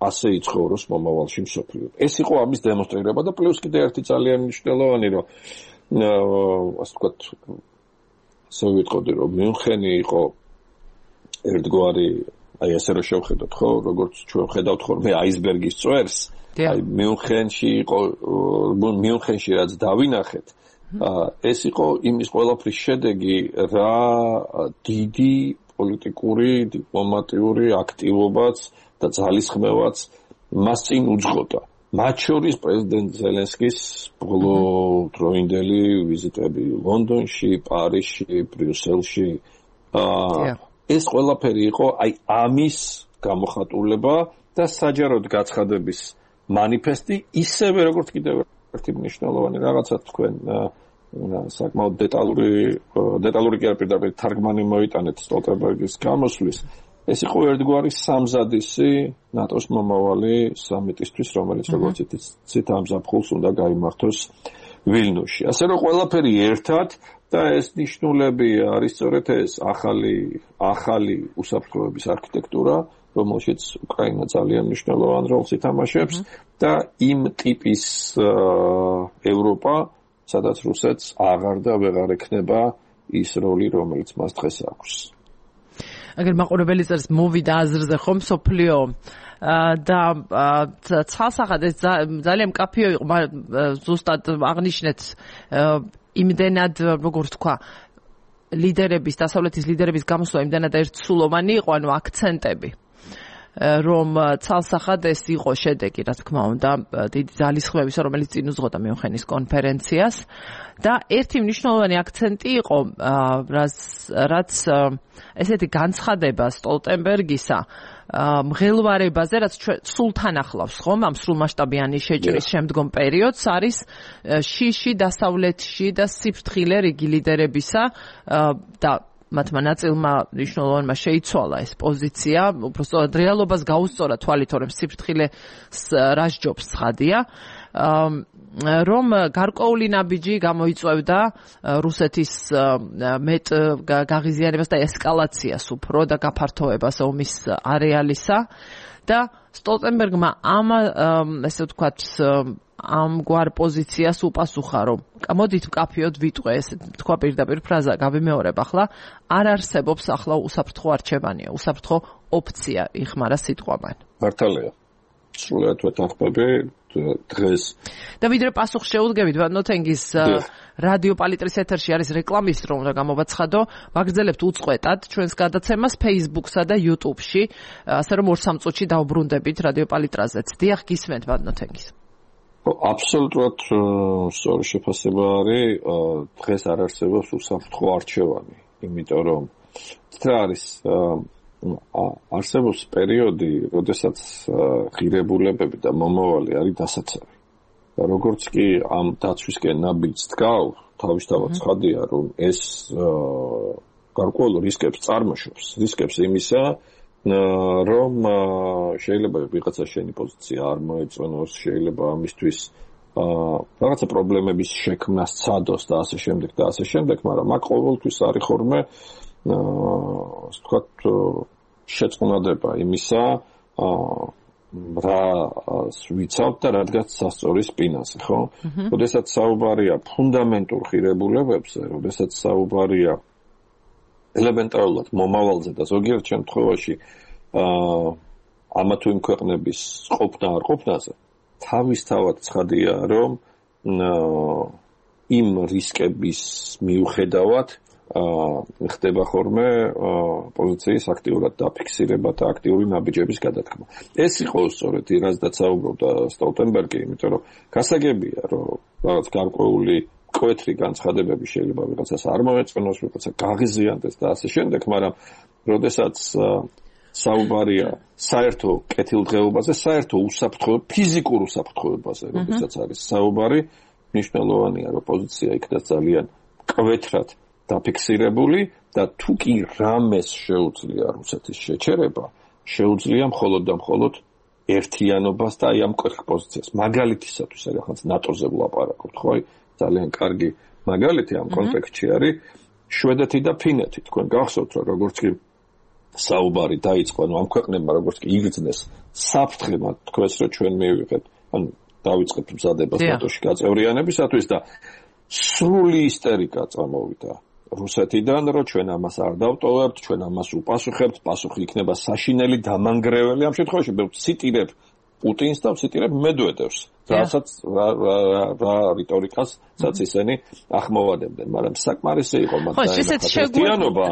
[SPEAKER 2] ასე იცხოვროს მომავალში მსოფლიო. ეს იყო ამის დემონსტრირება და პლუს კიდე ერთი ძალიან მნიშვნელოვანი, რომ ასე ვთქვათ, ასე ვიტყოდი, რომ მიუნხენი იყო ერთგვარი, აი ესე რომ შევხედოთ, ხო, როგორც ჩვენ ვხედავთ ხოლმე აისბერგის წვერს, აი მიუნხენში იყო, მიუნხენში რაც დავინახეთ, ეს იყო იმის ყველაფრის შედეგი, რა დიდი პოლიტიკური, დიპლომატიური აქტივობაც და ძალისხმევაც მას წინ უძღოდა. მათ შორის პრეზიდენტ ზელენსკის ბოლო დროინდელი ვიზიტები ლონდონში, პარიზში, ბრიუსელში. ეს ყველაფერი იყო აი ამის გამოხატულება და საჯაროდ გაცხადების მანიფესტი, ისევე როგორც კიდევ ერთი მნიშვნელოვანი რაღაცა თქვენ საკმაოდ დეტალური დეტალური კი არ პირდაპირ თარგმანი მოიტანეთ სტოლტენბერგის გამოსვლის. ეს იყო ერთგვარი სამზადისი ნატოს მომავალი სამიტისთვის, რომელიც როგორც იცით ამ ზაფხულს უნდა გაიმართოს ვილნიუსში. ასე რომ ყველაფერი ერთად და ეს ნიშნულები არის სწორედ ეს ახალი ახალი უსაფრთხოების არქიტექტურა, რომელშიც უკრაინა ძალიან მნიშვნელოვან როლს ითამაშებს და იმ ტიპის ევროპა, სადაც რუსეთს აღარ და ვეღარ ექნება ის როლი, რომელიც მას დღეს აქვს.
[SPEAKER 1] აგერ მაყურებელი წერს მოვიდა აზრზე ხომ სოფლიო და ცალსახად ეს ძალიან მკაფიო იყო, ზუსტად აღნიშნეთ იმდენად, როგორ თქვა, ლიდერების, დასავლეთის ლიდერების გამოსვლა იმდენად ერთსულოვანი იყო, ანუ აქცენტები, რომ ცალსახად ეს იყო შედეგი, რა თქმა უნდა, დიდი ძალისხმევისა, რომელიც წინ უძღოდა მიუნხენის კონფერენციას და ერთი მნიშვნელოვანი აქცენტი იყო, რაც ესეთი განცხადება სტოლტენბერგისა მღელვარებაზე, რაც სულთან ახლავს, ხომ, ამ სრულმასშტაბიანი შეჭრის შემდგომ პერიოდს, არის შიში დასავლეთში და სიფრთხილე რიგი ლიდერებისა და მათმა ნაწილმა მნიშვნელოვანმა შეიცვალა ეს პოზიცია, უბრალოდ რეალობას გაუსწორა თვალით, რომ სიფრთხილე რასჯობს ცხადია, რომ გარკვეული ნაბიჯი გამოიწვევდა რუსეთის მეტ გაღიზიანებას და ესკალაციას უფრო და გაფართოებას ომის არეალისა და სტოლტენბერგმა ამ ესე ვთქვათ ამგვარ პოზიციას უპასუხა, რომ მოდით მკაფიოდ ვიტყვე, ესე თქვა პირდაპირ ფრაზა, გავიმეორებ ახლა, არ არსებობს ახლა უსაფრთხო არჩევანია, უსაფრთხო ოფცია იხმარა სიტყვა მან.
[SPEAKER 2] მართალია. სრულიად ვეთანხმები დღეს.
[SPEAKER 1] და ვიდრე პასუხს შეუდგებით, ვადნოთენგის რადიო პალიტრის ეთერში არის რეკლამის დრო, უნდა გამოვაცხადო, ვაგრძელებთ უწყვეტად ჩვენს გადაცემას Facebook-სა და YouTube-ში, ასე რომ ორ სამ წუთში დავბრუნდებით რადიო პალიტრაზეც. დიახ, გისმენთ ვადნოთენგის.
[SPEAKER 2] აბსოლუტურად სწორი შეფასება არის, დღეს არ არსებობს უსაფრთხო არჩევანი, იმიტომ რომ რა არის არსებობს პერიოდი, როდესაც ღირებულებები და მომავალი არის დასაცავი. და როგორც კი ამ დაცვისკენ ნაბიჯს დგავ, თავისთავად ცხადია, რომ ეს გარკვეულ რისკებს წარმოშობს, რისკებს იმისა, რომ შეიძლება ვიღაცა შენი პოზიცია არ მოეწონოს, შეიძლება ამისთვის რაღაცა პრობლემების შექმნა სცადოს და ასე შემდეგ და ასე შემდეგ, მაგრამ აქ ყოველთვის არის ხოლმე ასე ვთქვათ შეწყნადება იმისა, რა ვიცავთ და რადგან სასწორის სპინაზე, ხო? როდესაც საუბარია ფუნდამენტურ ღირებულებებზე, როდესაც საუბარია ელემენტარულად მომავალზე და ზოგიერთ შემთხვევაში ამა თუ იმ ქვეყნების ყოფნა არ ყოფნაზე, თავისთავად ცხადია, რომ იმ რისკების მიუხედავად ხდება ხოლმე პოზიციის აქტიურად დაფიქსირება და აქტიური ნაბიჯების გადადგმა. ეს იყო სწორედ რაზეც საუბრობდა სტოლტენბერგი, იმიტომ რომ გასაგებია, რომ რაღაც გარკვეული კვეთრი განცხადებები შეიძლება ვიღაცას არ მოეწონოს, ვიღაცა გაღიზიანდეს და ასე შემდეგ, მაგრამ როდესაც საუბარია საერთო კეთილდღეობაზე, საერთო უსაფრთხო, ფიზიკურ უსაფრთხოებაზე, როდესაც არის საუბარი, მნიშვნელოვანია, რომ პოზიცია იქნას ძალიან კვეთრად დაფიქსირებული და თუ კი რამეს შეუძლია რუსეთის შეჩერება, შეუძლია მხოლოდ და მხოლოდ ერთიანობას და აი ამ კვერხ პოზიციას. მაგალითისათვის, რაღაც ნატოზე ვლაპარაკობთ, ხო? ძალიან კარგი მაგალითი ამ კონტექსტში არის შვედეთი და ფინეთი. თქვენ გახსოვთ, რომ როგორც კი საუბარი დაიწყო, ანუ ამ ქვეყნებმა როგორც კი იგრძნეს საფრთხე, თქვენს რომ ჩვენ მივიღეთ, ანუ დავიწყეთ მზადებას ნატოში გაწევრიანებისათვის და სრული ისტერიკა წამოვიდა რუსეთიდან, რომ ჩვენ ამას არ დავტოვებთ, ჩვენ ამას უპასუხებთ, პასუხი იქნება საშინელი, დამანგრეველი. ამ შემთხვევაში მე ვციტირებ პუტინს და ვციტირებ მედვედევს, რასაც რა რიტორიკასაც ისინი ახმოვანებდნენ, მაგრამ საკმარისი იყო მათ ერთიანობა.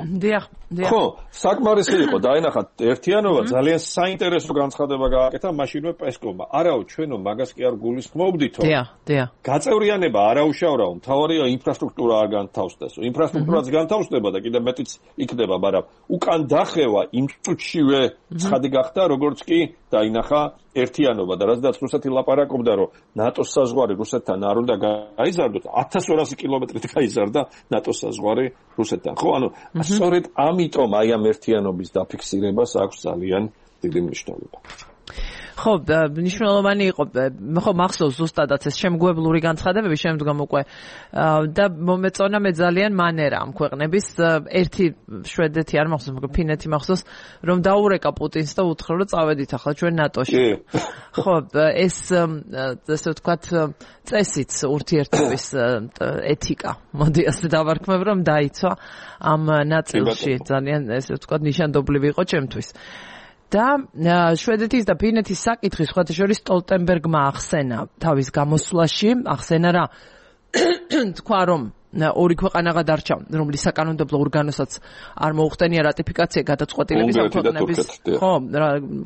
[SPEAKER 2] ხო, საკმარისი იყო დაენახათ ერთიანობა, ძალიან საინტერესო განცხადება გააკეთა მაშინვე პესკოვმა. არაო, ჩვენო მაგას კი არ გულისხმობდითო.
[SPEAKER 1] დიახ, დიახ.
[SPEAKER 2] გაწევრიანება არა უშავრაო, მთავარია ინფრასტრუქტურა არ განთავსდესო. ინფრასტრუქტურაც განთავსდება და კიდევ მეტიც იქნება, მაგრამ უკან დახევა იმ წუთშივე ცხადი გახდა, როგორც კი დაინახა ერთიანობა და რადგან რუსეთი ლაპარაკობდა, რომ ნატოს საზღვარი რუსეთთან არ უნდა გაიზარდოს, ათას ორასი კილომეტრით გაიზარდა ნატოს საზღვარი რუსეთთან. ხო, ანუ სწორედ ამიტომ აი ამ ერთიანობის დაფიქსირებას აქვს ძალიან დიდი მნიშვნელობა.
[SPEAKER 1] ხო, მნიშვნელოვანი იყო, ხო, მახსოვს ზუსტადაც ეს შემგვებლური განცხადებები შემდგომ უკვე და მომეწონა მე ძალიან მანერა ამ ქვეყნების. ერთი შვედეთი არ მახსოვს, მაგრამ ფინეთი მახსოვს, რომ დაურეკა პუტინს და უთხრა, რომ წავედით ახლა ჩვენ ნატოში. ხო, ეს ესე ვთქვათ წესიც ურთიერთობის ეთიკა. მოდი ასე დავარქმევ, რომ დაიცვა ამ ნაწილში ძალიან ესე ვთქვათ ნიშანდობლივი იყო ჩემთვის. და შვედეთის და ფინეთის საკითხი სხვათა შორის სტოლტენბერგმა ახსენა თავის გამოსვლაში, ახსენა რა თქვა, რომ ორი ქვეყანა გადარჩა, რომლის საკანონმდებლო ორგანოსაც არ მოუხდენია რატიფიკაცია გადაწყვეტილების ამ ქვეყნების, ხო,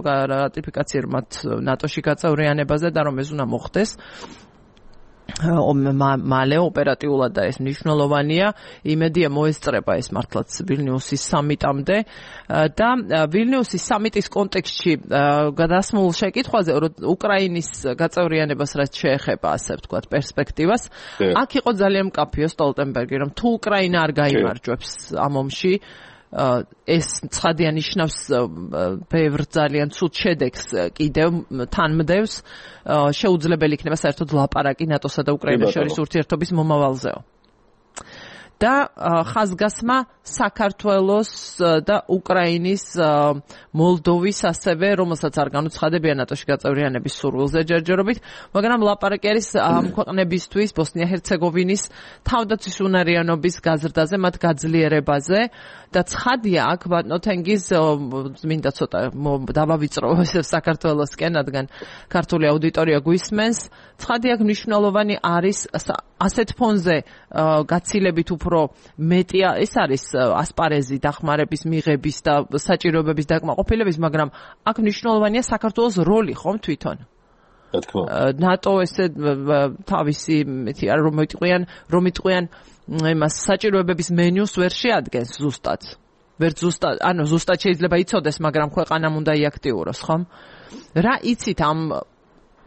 [SPEAKER 1] რატიფიკაცია მათ ნატოში გაწევრიანებაზე და რომ ეს უნდა მოხდეს. მალე ოპერატიულად და ეს მნიშვნელოვანია, იმედია მოესწრება ეს მართლაც ვილნიუსის სამიტამდე და ვილნიუსის სამიტის კონტექსტში გადასმულ შეკითხვაზე, რომ უკრაინის გაწევრიანებას რაც შეეხება, ასე ვთქვათ, პერსპექტივას, აქ იყო ძალიან მკაფიო სტოლტენბერგი, რომ თუ უკრაინა არ გაიმარჯვებს ამ ომში, ეს ცხადია ნიშნავს ბევრ ძალიან ცუდ შედეგს კიდევ თანმდევს, შეუძლებელი იქნება საერთოდ ლაპარაკი ნატოსა და უკრაინას შორის ურთიერთობის მომავალზეო. და ხაზგასმა საქართველოს და უკრაინის, მოლდოვის ასევე, რომელსაც არ განუცხადებია ნატოში გაწევრიანების სურვილზე ჯერჯერობით, მაგრამ ლაპარაკი არის ამ ქვეყნებისთვის, ბოსნია-ჰერცეგოვინის თავდაცვის უნარიანობის გაზრდაზე, მათ გაძლიერებაზე და ცხადია აქ ბატონო თენგიზ მინდა ცოტა დავავიწრო საქართველოსკენ, რადგან ქართული აუდიტორია გვისმენს, ცხადია აქ მნიშვნელოვანი არის ასეთ ფონზე გაცილებით უფრო მეტი ეს არის ასპარეზი დახმარების მიღების და საჭიროებების დაკმაყოფილების, მაგრამ აქ მნიშვნელოვანია საქართველოს როლი, ხომ თვითონ?
[SPEAKER 2] რა თქმა უნდა.
[SPEAKER 1] ნატო ესე თავისი მეთი არ რომ იტყვიან, რომ იტყვიან იმას საჭიროებების მენიუს ვერ შეადგენს ზუსტად. ვერ ზუსტად, ანუ ზუსტად შეიძლება იცოდეს, მაგრამ ქვეყანამ უნდა იაქტიუროს, ხომ? რა იცით ამ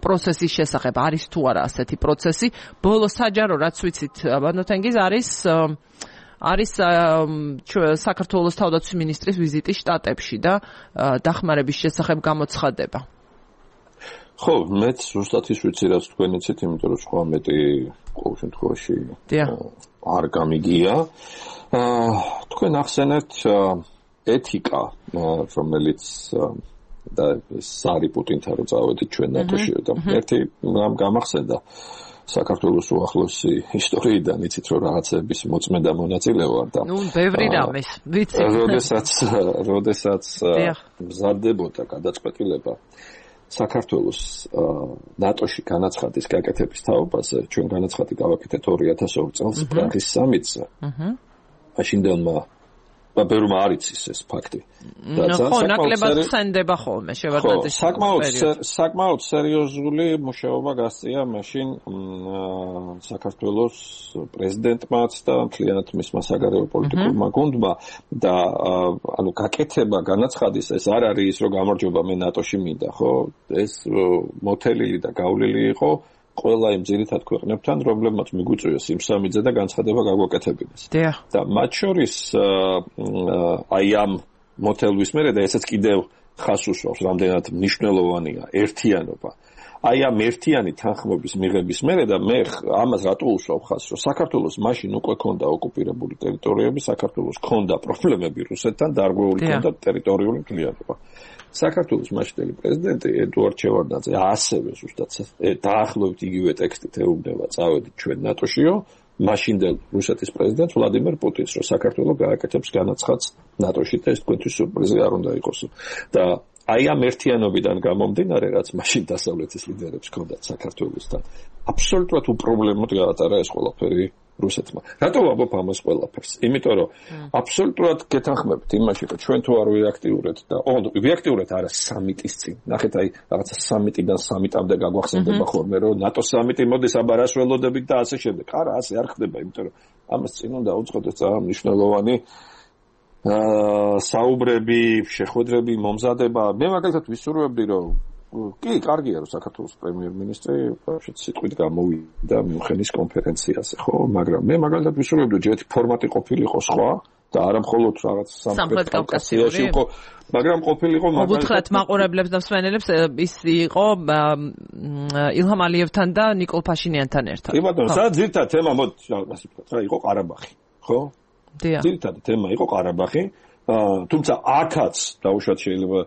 [SPEAKER 1] პროცესის შესახებ, არის თუ არა ასეთი პროცესი? ბოლო საჯარო რაც ვიცით, ბატონო თენგიზ, არის არის საქართველოს თავდაცვის მინისტრის ვიზიტი შტატებში და დახმარების შესახებ გამოცხადება.
[SPEAKER 2] ხო, მეც ზუსტად ის ვიცი, რაც თქვენ იცით, იმიტომ რომ სხვა მეტი ყოველ შემთხვევაში არ გამიგია. თქვენ ახსენეთ ეთიკა, რომელიც და სარი პუტინთან რო წავედით ჩვენ ნატოში და ერთი რამ გამახსენდა საქართველოს უახლოესი ისტორიიდან, იცით რომ რაღაცების მოწმედა მონაწილე ვარ და
[SPEAKER 1] ნუ ბევრი რამის ვიცი.
[SPEAKER 2] როდესაც როდესაც მზადდებოდა გადაწყვეტილება საქართველოს ნატოში განაცხადის გაკეთების თაობაზე, ჩვენ განაცხადი გავაკეთეთ ორი ათას ორი წელს პრაღის სამიტზე. აჰა. მაშინდელმა ბევრმა არ იცის ეს ფაქტი.
[SPEAKER 1] ხო, ნაკლებად ხსენდება ხოლმე შევარდნაძის
[SPEAKER 2] საკმაოდ საკმაოდ სერიოზული მუშაობა გასწია მაშინ საქართველოს პრეზიდენტმაც და მთლიანად მისმა საგარეო პოლიტიკურმა გუნდმა და ანუ გაკეთება განაცხადის ეს არ არის ის რომ გამარჯობა მე ნატოში მინდა, ხო? ეს მოთელილი და გავლილი იყო ყველა იმ ძირითად ქვეყნებთან, რომლებმაც მიგვიწვიეს იმ სამიტზე და განცხადება გაგვაკეთებინეს. და მათ შორის აი ამ მოთელვის მერე და ესაც კიდევ ხას უსვავს, რამდენად მნიშვნელოვანია ერთიანობა. აი ამ ერთიანი თანხმობის მიღების მერე და მე ამას რატო უსვავ ხაზს, რომ საქართველოს მაშინ უკვე ქონდა ოკუპირებული ტერიტორიები, საქართველოს ქონდა პრობლემები რუსეთთან, დარღვეული ქონდა ტერიტორიული მთლიანობა. საქართველოს მაშინდელი პრეზიდენტი ედუარდ შევარდნაძე ასევე ზუსტად დაახლოებით იგივე ტექსტით ეუბნება წავედით ჩვენ ნატოშიო, მაშინდელ რუსეთის პრეზიდენტ ვლადიმერ პუტინს, რომ საქართველო გააკეთებს განაცხადს ნატოში და ეს თქვენთვის სიურპრიზი არ უნდა იყოს. და აი ამ ერთიანობიდან გამომდინარე, რაც მაშინ დასავლეთის ლიდერებს ჰქონდათ საქართველოსთან, აბსოლუტურად უპრობლემოდ გაატარა ეს ყველაფერი რუსეთმა. რატო ვამბობ ამას ყველაფერს? იმიტომ რომ აბსოლუტურად გეთანხმებით იმაში, რომ ჩვენ თუ არ ვიაქტიურეთ და ოღონდ ვიაქტიურეთ არა სამიტის წინ. ნახეთ, აი რაღაცა სამიტიდან სამიტამდე გაგვახსენდება ხოლმე, რომ ნატო სამიტი მოდის აბარას ველოდებით და ასე შემდეგ. არა, ასე არ ხდება, იმიტომ რომ ამას წინ უნდა უწყოთ ძალიან მნიშვნელოვანი აა საუბრები, შეხვედრები, მომზადება. მე მაგალითად ვისურვებდი, რომ კი, კარგია, რომ საქართველოს პრემიერ-მინისტრი ვაფშე სიტყვით გამოვიდა მიუნხენის კონფერენციაზე, ხო? მაგრამ მე მაგალითად ვისურვებდი, რომ ერთი ფორმატი ყოფილიყო სხვა და არა მხოლოდ რაღაც სამხრეთ კავკასიაში იყო, მაგრამ ყოფილიყო
[SPEAKER 1] მაგალითად უთხრათ მაყურებლებს და მსმენელებს ის იყო ილჰამ ალიევთან და ნიკოლ ფაშინიანთან ერთად.
[SPEAKER 2] კი ბატონო, სადაც ძირითადად თემა მოდი ასე ვთქვათ, რა იყო ყარაბაღი, ხო?
[SPEAKER 1] დიახ.
[SPEAKER 2] ძირითადად თემა იყო ყარაბაღი, თუმცა აქაც დაუშვათ შეიძლება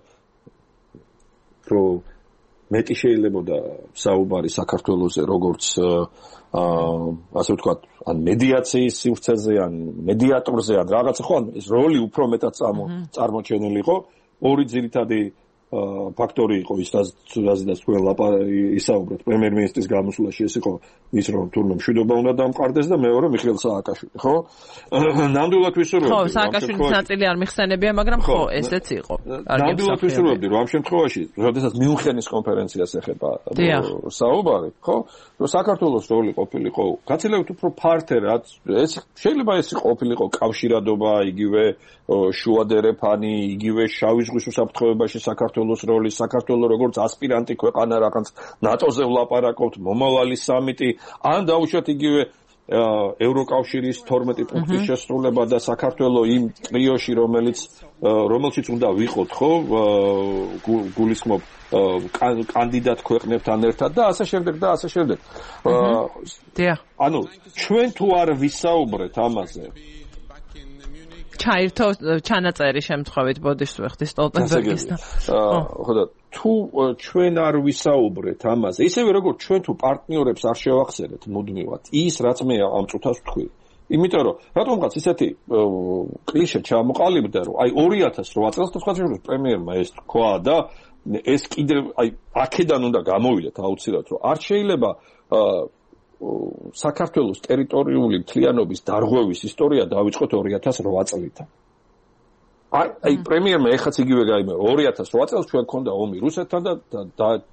[SPEAKER 2] რომ მეტი შეიძლებოდა საუბარი საქართველოსზე როგორც ასე ვთქვათ, ან მედიაციის სივრცეზე, ან მედიატორზე, ან რაღაცა, ხო, ეს როლი უფრო მეტად წარმოჩენილი იყო. ორი ძირითადი ფაქტორი იყო ის, რაზეც თქვენ ისაუბრეთ, პრემიერ-მინისტრის გამოსვლაში ეს იყო ის, რომ თურმე მშვიდობა უნდა დამყარდეს და მეორე მიხეილ სააკაშვილი, ხო? ნამდვილად ვისურვებდი.
[SPEAKER 1] ხო, სააკაშვილის ნაწილი არ მიხსენებია, მაგრამ ხო, ესეც იყო.
[SPEAKER 2] ნამდვილად ვისურვებდი, რომ ამ შემთხვევაში, როდესაც მიუნხენის კონფერენციას ეხება საუბარი, ხო? რომ საქართველოს როლი ყოფილიყო გაცილებით უფრო ფართე, რაც ეს შეიძლება ეს ყოფილიყო კავშირადობა, იგივე შუადერეფანი, იგივე შავი ზღვის უსაფრთხოებაში საქართველოს როლი, საქართველოს როგორც ასპირანტი ქვეყანა რაღაც ნატოზე ვლაპარაკობთ, მომავალი სამიტი, ან დაუშვათ იგივე ევროკავშირის თორმეტი პუნქტის შესრულება და საქართველოს იმ ტრიოში, რომელიც რომელშიც უნდა ვიყოთ, ხო, გულისხმობ კანდიდატ ქვეყნებთან ერთად და ასე შემდეგ და ასე შემდეგ.
[SPEAKER 1] დიახ.
[SPEAKER 2] ანუ ჩვენ თუ არ ვისაუბრეთ ამაზე,
[SPEAKER 1] ჩაირთო ჩანაწერი შემთხვევით ბოდიშს ვეხდი სტოლტენბერგისთან.
[SPEAKER 2] ხო და თუ ჩვენ არ ვისაუბრეთ ამაზე, ისევე როგორც ჩვენ თუ პარტნიორებს არ შევახსენეთ მუდმივად, ის რაც მე ამ წუთას ვთქვი. იმიტომ რომ რატომღაც ისეთი კლიშე ჩამოყალიბდა, რომ აი ორი ათას რვა წელს თვალსაჩინო პრემიერმა ეს თქვა და ეს კიდევ აი აქედან უნდა გამოვიდეთ აუცილებლად, რომ არ შეიძლება საქართველოს ტერიტორიული მთლიანობის დარღვევის ისტორია დავიწყოთ ორი ათას რვა წლიდან. აი, აი პრემიერმა ეხაც იგივე გაიმეორა, ორი ათას რვა წელს ჩვენ გქონდა ომი რუსეთთან და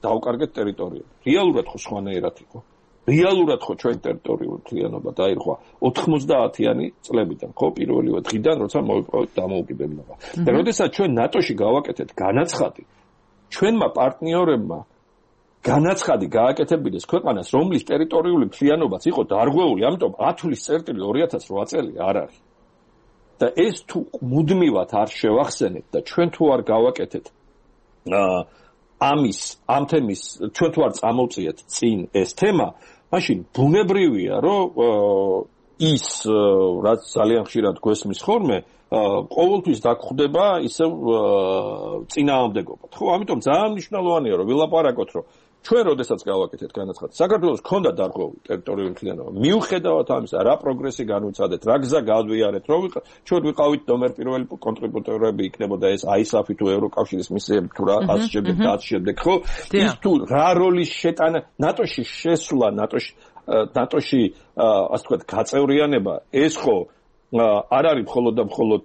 [SPEAKER 2] დავკარგეთ ტერიტორიები. რეალურად ხო სხვანაირად იყო. რეალურად ხო ჩვენ ტერიტორიული მთლიანობა დაირღვა ოთხმოცდაათიანი წლებიდან, ხო, პირველივე დღიდან, როცა მოვიპოვეთ დამოუკიდებლობა. და როდესაც ჩვენ ნატოში გავაკეთეთ განაცხადი, ჩვენმა პარტნიორებმა განაცხადი გააკეთებიდეს ქვეყანას, რომლის ტერიტორიული მთლიანობაც იყო დარღვეული, ამიტომ ათვლის წერტილი ორი ათას რვა წელი არ არის. და ეს თუ მუდმივად არ შევახსენეთ და ჩვენ თუ არ გავაკეთეთ ამის, ამ თემის, ჩვენ თუ არ წამოვწიეთ წინ ეს თემა, მაშინ ბუნებრივია, რომ ის, რაც ძალიან ხშირად გვესმის ხოლმე, ყოველთვის დაგხვდება ისევ წინააღმდეგობად. ხო, ამიტომ ძალიან მნიშვნელოვანია, რომ ვილაპარაკოთ, რომ ჩვენ როდესაც გავაკეთეთ განაცხადი, საქართველოს ქონდა დარღვეული ტერიტორიული მთლიანობა. მიუხედავად ამისა, რა პროგრესი განვიცადეთ, რა გზა გავიარეთ, რომ ჩვენ ვიყავით ნომერ პირველი კონტრიბუტორები, იქნებოდა ეს აისაფი თუ ევროკავშირის მისიები თუ რა ასე შემდეგ და ასე შემდეგ, ხო? ის თუ რა როლის შეტანა ნატოში შესვლა, ნატოში ნატოში ასე ვთქვათ, გაწევრიანება, ეს ხო არ არის მხოლოდ და მხოლოდ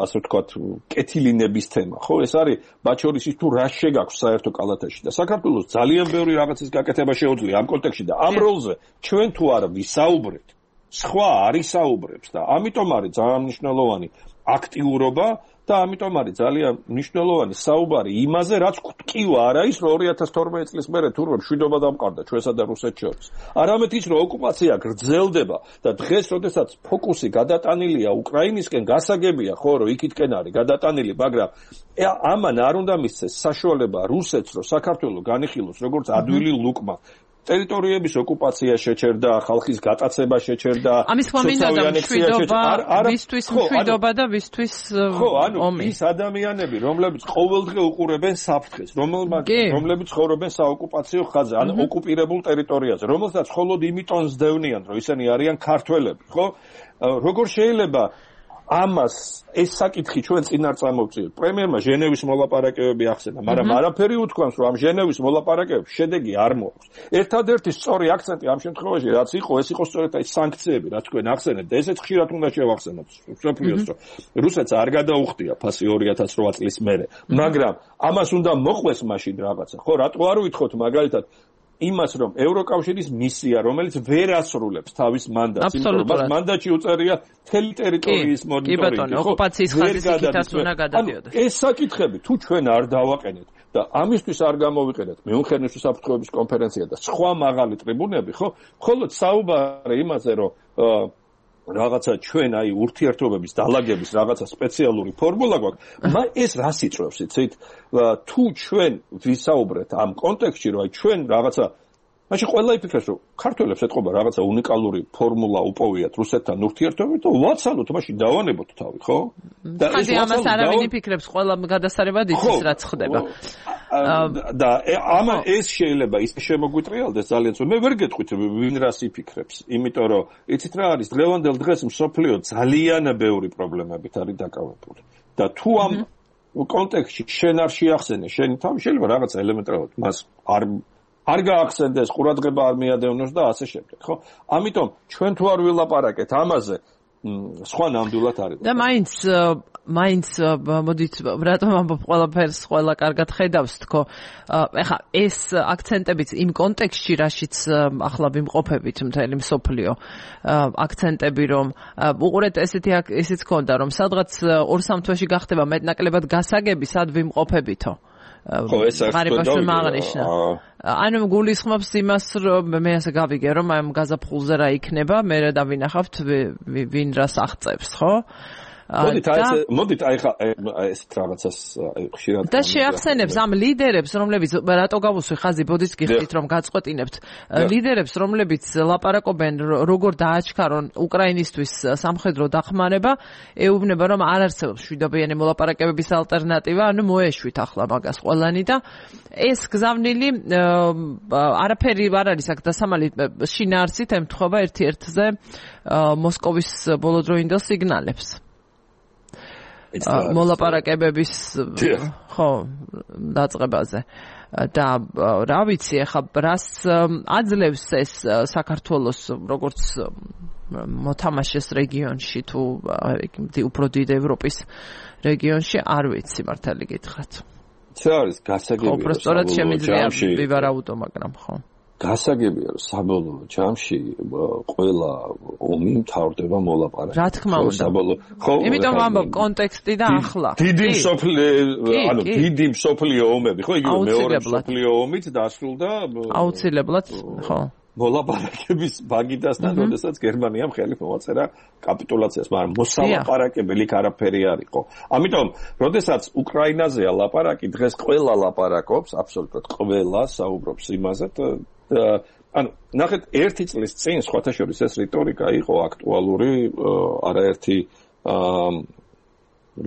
[SPEAKER 2] ასე ვთქვათ კეთილინების თემა, ხო? ეს არის ბაჩორისის თუ რა შეგაქვს საერთო კალათაში და საქართველოს ძალიან ბევრი რაღაცის გაკეთება შეუძლია ამ კონტექსტში და ამ როლზე ჩვენ თუ არ ვისაუბრეთ, სხვა არ ისაუბრებს და ამიტომ არის ძალიან მნიშვნელოვანი აქტიურობა და ამიტომ არის ძალიან მნიშვნელოვანი საუბარი იმაზე, რაც კვტკივა არ არის, რომ ორი ათას თორმეტი წლის მერე თურმე მშვიდობა დამყარდა ჩვენსა და რუსეთს შორის. არამედ ის, რომ ოკუპაცია გრძელდება და დღეს, როდესაც ფოკუსი გადატანილია უკრაინისკენ, გასაგებია, ხო, რომ იქითკენ არის გადატანილი, მაგრამ ამან არ უნდა მისცეს საშუალება რუსეთს, რომ საქართველოს განიხილოს როგორც ადვილი ლუკმა. ტერიტორიების ოკუპაცია შეჩერდა, ხალხის გატაცება შეჩერდა,
[SPEAKER 1] ამის ხმა მინდა მშვიდობა, ვისთვის მშვიდობა და ვისთვის ომი.
[SPEAKER 2] ხო, ანუ ის ადამიანები, რომლებიც ყოველდღე უყურებენ საფრთხეს, რომლებიც ცხოვრობენ საოკუპაციო ხაზზე, ან ოკუპირებულ ტერიტორიაზე, რომელსაც მხოლოდ იმიტომ ზდევნიან, რომ ისინი არიან ქართველები, ხო? როგორ შეიძლება ამას ეს საკითხი ჩვენ წინ არ წამოვწიოთ. პრემიერმა ჟენევის მოლაპარაკებები ახსენა, მაგრამ არაფერი უთქვამს, რომ ამ ჟენევის მოლაპარაკებებში შედეგი არ მოაქვს. ერთადერთი სწორი აქცენტი ამ შემთხვევაში რაც იყო, ეს იყო სწორედ აი სანქციები, რაც თქვენ ახსენეთ და ესეც ხშირად უნდა შევახსენოთ სოფლიოს, რომ რუსეთს არ გადაუხდია ფასი ორი ათას რვა წლის მერე, მაგრამ ამას უნდა მოყვეს მაშინ რაღაცა. ხო, რატო არ ვითხოვთ მაგალითად იმას, რომ ევროკავშირის მისია, რომელიც ვერ ასრულებს თავის მანდატს, იმიტომ რომ მას მანდატში უწერია მთელი ტერიტორიის მონიტორინგი.
[SPEAKER 1] კი ბატონო, ოკუპაციის ხაზის იქითაც უნდა გადადიოდეს.
[SPEAKER 2] ეს საკითხები თუ ჩვენ არ დავაყენეთ და ამისთვის არ გამოვიყენეთ მეუნხენის უსაფრთხოების კონფერენცია და სხვა მაღალი ტრიბუნები, ხო, მხოლოდ საუბარი იმაზე, რომ რაღაცა ჩვენ აი ურთიერთობების დალაგების რაღაცა სპეციალური ფორმულა გვაქვს, მაგრამ ეს რას იწვევს, იცით? თუ ჩვენ ვისაუბრეთ ამ კონტექსტში, რომ აი ჩვენ რაღაცა მაშინ ყველა იფიქრებს, რომ ქართველებს ეთყობა რაღაცა უნიკალური ფორმულა უპოვიათ რუსეთთან ურთიერთობებით და ვაცალოთ, მაშინ დავანებოთ თავი, ხო?
[SPEAKER 1] და ეს ამას არავინ იფიქრებს, ყველა გადასარევად იცის რაც ხდება.
[SPEAKER 2] და ამა ეს შეიძლება ის შემოგვიტრიალდეს ძალიან ძველ. მე ვერ გეტყვით ვინ რას იფიქრებს, იმიტომ რომ იცით რა არის, დღევანდელ დღეს მსოფლიო ძალიან ბევრი პრობლემებით არის დაკავებული. და თუ ამ კონტექსტში შენ არ შეახსენე შენი თავი, შეიძლება რაღაც ელემენტარულად მას არ არ გაახსენდეს, ყურადღება არ მიადევნოს და ასე შემდეგ, ხო? ამიტომ ჩვენ თუ არ ვილაპარაკეთ ამაზე, სხვა ნამდვილად არის.
[SPEAKER 1] და მაინც მაინც მოდით რატომ ამბობ ყველაფერს ყველა კარგად ხედავს თქო. ეხა ეს აქცენტებიც იმ კონტექსტში, რაშიც ახლა ვიმყოფებით მთელი მსოფლიო, აქცენტები რომ უყურეთ ესეთი ესეც ქონდა რომ სადღაც ორ სამ თვეში გახდება მეტნაკლებად გასაგები, სად ვიმყოფებითო.
[SPEAKER 2] ხო, ეს
[SPEAKER 1] ღარიბაში მაღნიშნა. ანუ გულისხმობს იმას, რომ მე ასე გავიგე, რომ ამ გაზაფხულზე რა იქნება, მე და ვინახავთ ვინ რას აღწევს, ხო?
[SPEAKER 2] მოდით აი მოდით აი ხა ეს რაღაცას ხშირად
[SPEAKER 1] და შეახსენებს ამ ლიდერებს, რომლებიც რატო გავუსვი ხაზი ბოდიშს გიხდით რომ გაწყვეტინებთ ლიდერებს, რომლებიც ლაპარაკობენ როგორ დააჩქარონ უკრაინისთვის სამხედრო დახმარება, ეუბნება რომ არ არსებობს მშვიდობიანი მოლაპარაკებების ალტერნატივა, ანუ მოეშვით ახლა მაგას ყველანი და ეს გზავნილი არაფერი არ არის აქ დასამალი შინაარსით ემთხვევა ერთ-ერთზე მოსკოვის ბოლოდროინდელ სიგნალებს. მოლაპარაკებების ხო დაწყებაზე და რა ვიცი ახლა რას აძლევს ეს საქართველოს როგორც მოთამაშეს რეგიონში თუ უფრო დიდ ევროპის რეგიონში არ ვიცი მართალი გითხრათ.
[SPEAKER 2] რა არის გასაგებია
[SPEAKER 1] ხო პროსტორად შემიძლია ვივარაუდო მაგრამ ხო
[SPEAKER 2] გასაგებია რომ საბოლოო ჯამში ყველა ომი მთავრდება მოლაპარაკებით.
[SPEAKER 1] რა თქმა უნდა.
[SPEAKER 2] ხო,
[SPEAKER 1] იმიტომ ვამბობ კონტექსტი და ახლა.
[SPEAKER 2] დიდი მსოფლიო, ანუ დიდი მსოფლიო ომები, ხო, იგივე მეორე მსოფლიო ომით დასრულდა.
[SPEAKER 1] აუცილებლად, ხო.
[SPEAKER 2] მოლაპარაკების ბაგიდასთან, როდესაც გერმანიამ ხელი მოაწერა კაპიტულაციას, მაგრამ მოსალაპარაკებელი არაფერი არ იყო. ამიტომ, როდესაც უკრაინაზეა ლაპარაკი, დღეს ყველა ლაპარაკობს, აბსოლუტურად ყველა საუბრობს იმაზე და ანუ ნახეთ ერთი წლის წინ სხვათა შორის ეს რიტორიკა იყო აქტუალური არაერთი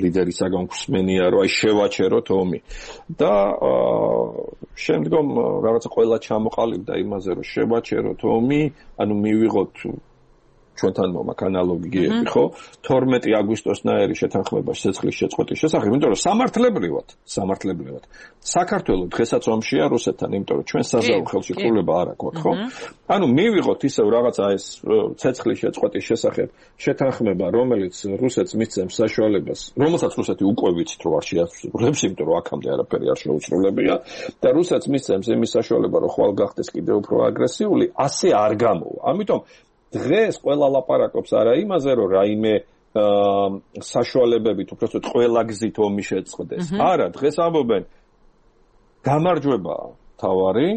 [SPEAKER 2] ლიდერისაგან გვსმენია რომ აი შევაჩეროთ ომი და შემდგომ რაღაცა ყველა ჩამოყალიბდა იმაზე რომ შევაჩეროთ ომი, ანუ მივიღოთ ჩვენთან მომაკ ანალოგიები, ხო? თორმეტი აგვისტოსნაირი შეთანხმება სიცოცხლის შეწყვეტის შესახებ, იმიტომ რომ სამართლებრივად, სამართლებრივად საქართველოს დღესაც ომშია რუსეთთან, იმიტომ რომ ჩვენ საზავო ხელშეკრულება არ აქვს, ხო? ანუ მივიღოთ ისევ რაღაცა ეს სიცოცხლის შეწყვეტის შესახებ შეთანხმება, რომელიც რუსეთს მისცემს საშუალებას, რომელსაც რუსეთი უკვე ვიცით რომ არ შეასრულებს, იმიტომ რომ აქამდე არაფერი არ შეუსრულებია და რუსეთს მისცემს იმის საშუალება, რომ ხვალ გახდეს კიდევ უფრო აგრესიული, ასე არ გამოვა. ამიტომ დღეს ყველა ლაპარაკობს არა იმაზე, რომ რაიმე საშუალებებით უბრალოდ ყველა გზით ომი შეწყდეს. არა, დღეს ამბობენ გამარჯვებაა თავარი,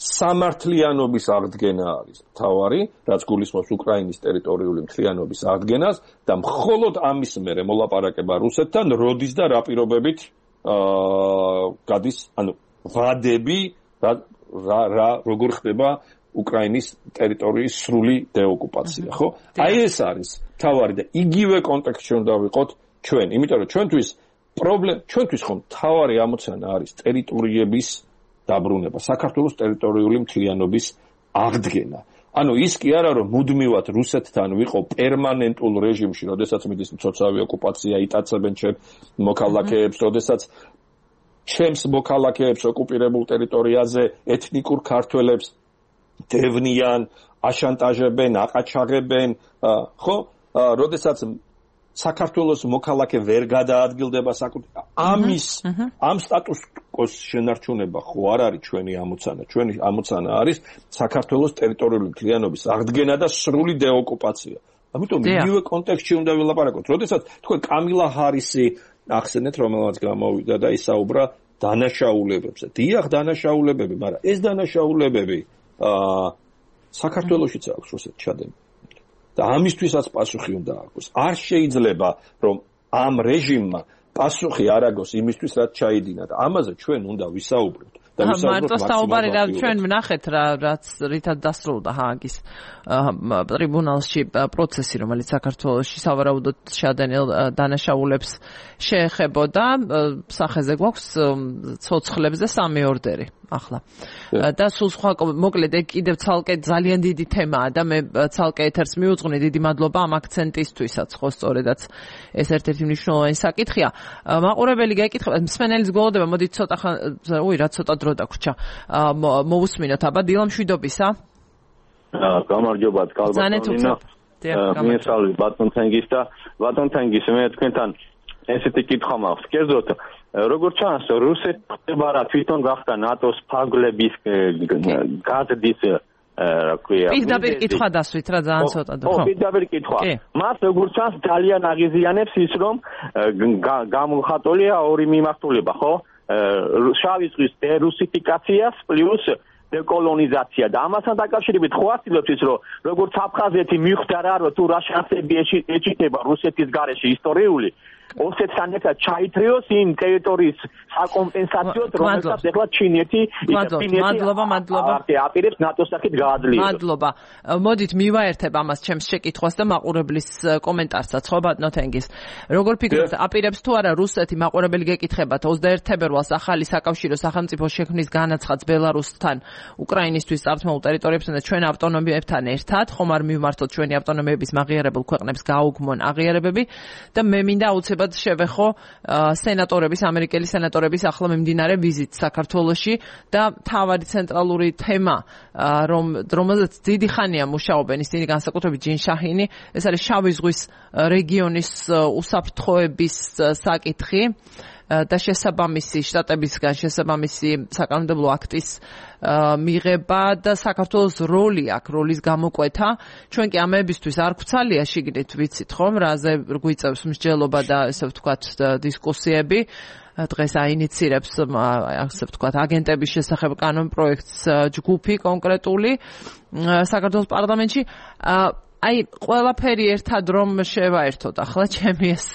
[SPEAKER 2] სამართლიანობის აღდგენა არის თავარი, რაც გულისხმობს უკრაინის ტერიტორიული მთლიანობის აღდგენას და მხოლოდ ამის მერე მოლაპარაკება რუსეთთან, როდის და რა პირობებით აა გადის, ანუ ვადები რა რა როგორ ხდება უკრაინის ტერიტორიის სრული დეოკუპაცია, ხო? აი ეს არის თავარი და იგივე კონტექსტში უნდა ვიყოთ ჩვენ, იმიტომ რომ ჩვენთვის პრობლემა, ჩვენთვის ხომ თავარი ამოცანა არის ტერიტორიების დაბრუნება, საქართველოს ტერიტორიული მთლიანობის აღდგენა. ანუ ის კი არა რომ მუდმივად რუსეთთან ვიყო პერმანენტულ რეჟიმში, როდესაც მიდის მცოცავი ოკუპაცია, იტაცებენ ჩემ მოქალაქეებს, როდესაც ჩემს მოქალაქეებს ოკუპირებულ ტერიტორიაზე ეთნიკურ ქართველებს დევნიან, აშანტაჟებენ, აყაჩაღებენ, ხო? როდესაც საქართველოს მოქალაქე ვერ გადაადგილდება საკუთარ ამის ამ სტატუს-კვოს შენარჩუნება ხო არ არის ჩვენი ამოცანა. ჩვენი ამოცანა არის საქართველოს ტერიტორიული მთლიანობის აღდგენა და სრული დეოკუპაცია. ამიტომ იგივე კონტექსტში უნდა ვილაპარაკოთ. როდესაც თქვენ კამილა ჰარისი ახსენეთ, რომელმაც გამოვიდა და ისაუბრა დანაშაულებებზე. დიახ, დანაშაულებები, მაგრამ ეს დანაშაულებები აა საქართველოშიც აქვს რუსეთ ჩადენილი. და ამისთვისაც პასუხი უნდა აქვს. არ შეიძლება რომ ამ რეჟიმმა პასუხი არ აგოს იმისთვის, რაც ჩაიდინა და ამაზე ჩვენ უნდა ვისაუბროთ. და
[SPEAKER 1] მარტო საუბარი რა ჩვენ ვნახეთ რა რაც რითაც დასრულდა ჰააგის ტრიბუნალში პროცესი, რომელიც საქართველოში სავარაუდოდ შადენილ დანაშაულებს შეეხებოდა. სახეზე გვაქვს ცოცხლებზე სამი ორდერი ახლა. და სულ სხვა მოკლედ ეგ კიდევ ცალკე ძალიან დიდი თემაა და მე ცალკე ეთერს მიუძღვნი, დიდი მადლობა ამ აქცენტისთვისაც, ხო სწორედაც ეს ერთ-ერთი მნიშვნელოვანი საკითხია. მაყურებელი გეკითხება, მსმენელის გველოდება, მოდით ცოტა ხან, უი რა ცოტა დრო დაგვრჩა. მოვუსმინოთ, აბა დილა მშვიდობისა.
[SPEAKER 3] გამარჯობათ, კალბატონინა. მიესალმებით ბატონ თენგის და ბატონ თენგის, მე თქვენთან ესეთი კითხვა მაქვს. კერძოდ როგორც ჩანს, რუსეთი ხდება რა თვითონ გახდა ნატოს ფარგლების გაზრდის რა ქვია.
[SPEAKER 1] პირდაპირ კითხვა დასვით რა ძალიან ცოტა და
[SPEAKER 3] ხო. პირდაპირ კითხვა. მას როგორც ჩანს ძალიან აღიზიანებს ის რომ გამხატულია ორი მიმართულება, ხო? შავი ზღვის დერუსიფიკაციას პლუს დეკოლონიზაცია და ამასთან დაკავშირებით ხო ასწავლებს ის რომ როგორც აფხაზეთი მიხვდა რომ თუ რა შანსები ეჭირდება რუსეთის გარეშე ისტორიული ოსეთთან ერთად ჩაითრიოს იმ ტერიტორიის საკომპენსაციოდ რომელსაც ეხლა ჩინეთი
[SPEAKER 1] მადლობა მადლობა
[SPEAKER 3] აპირებს ნატოს სახით გააძლიეროს.
[SPEAKER 1] მადლობა. მოდით მივაერთებ ამას ჩემს შეკითხვას და მაყურებლის კომენტარსაც, ხო ბატონო თენგის. როგორ ფიქრობთ, აპირებს თუ არა რუსეთი, მაყურებელი გეკითხებათ ოცდაერთი თებერვალს ახალი საკავშირო სახელმწიფო შექმნის განაცხადს ბელარუსთან უკრაინისთვის წართმეულ ტერიტორიებსა და ჩვენ ავტონომიებთან ერთად, ხომ არ მივმართოთ ჩვენი ავტონომიების მაღიარებულ ქვეყნებს გაუგმონ აღიარებები და მე მინდა აუცილებლად შევეხო სენატორების, ამერიკელი სენატორების ახლა მიმდინარე ვიზიტს საქართველოში და თავარი ცენტრალური თემა, რომ რომელზეც დიდი ხანია მუშაობენ ისინი, განსაკუთრებით ჯინ შაჰინი, ეს არის შავი ზღვის რეგიონის უსაფრთხოების საკითხი და შესაბამისი შტატებისგან შესაბამისი საკანონმდებლო აქტის მიღება და საქართველოს როლი აქ, როლის გამოკვეთა. ჩვენ კი ამებისთვის არ გვცალია შიგნით, ვიცით ხომ, რაზე გვიწევს მსჯელობა და ესე ვთქვათ დისკუსიები. დღეს აინიცირებს ასე ვთქვათ აგენტების შესახებ კანონპროექტს ჯგუფი კონკრეტული საქართველოს პარლამენტში. აი ყველაფერი ერთად რომ შევაერთოთ ახლა ჩემი ეს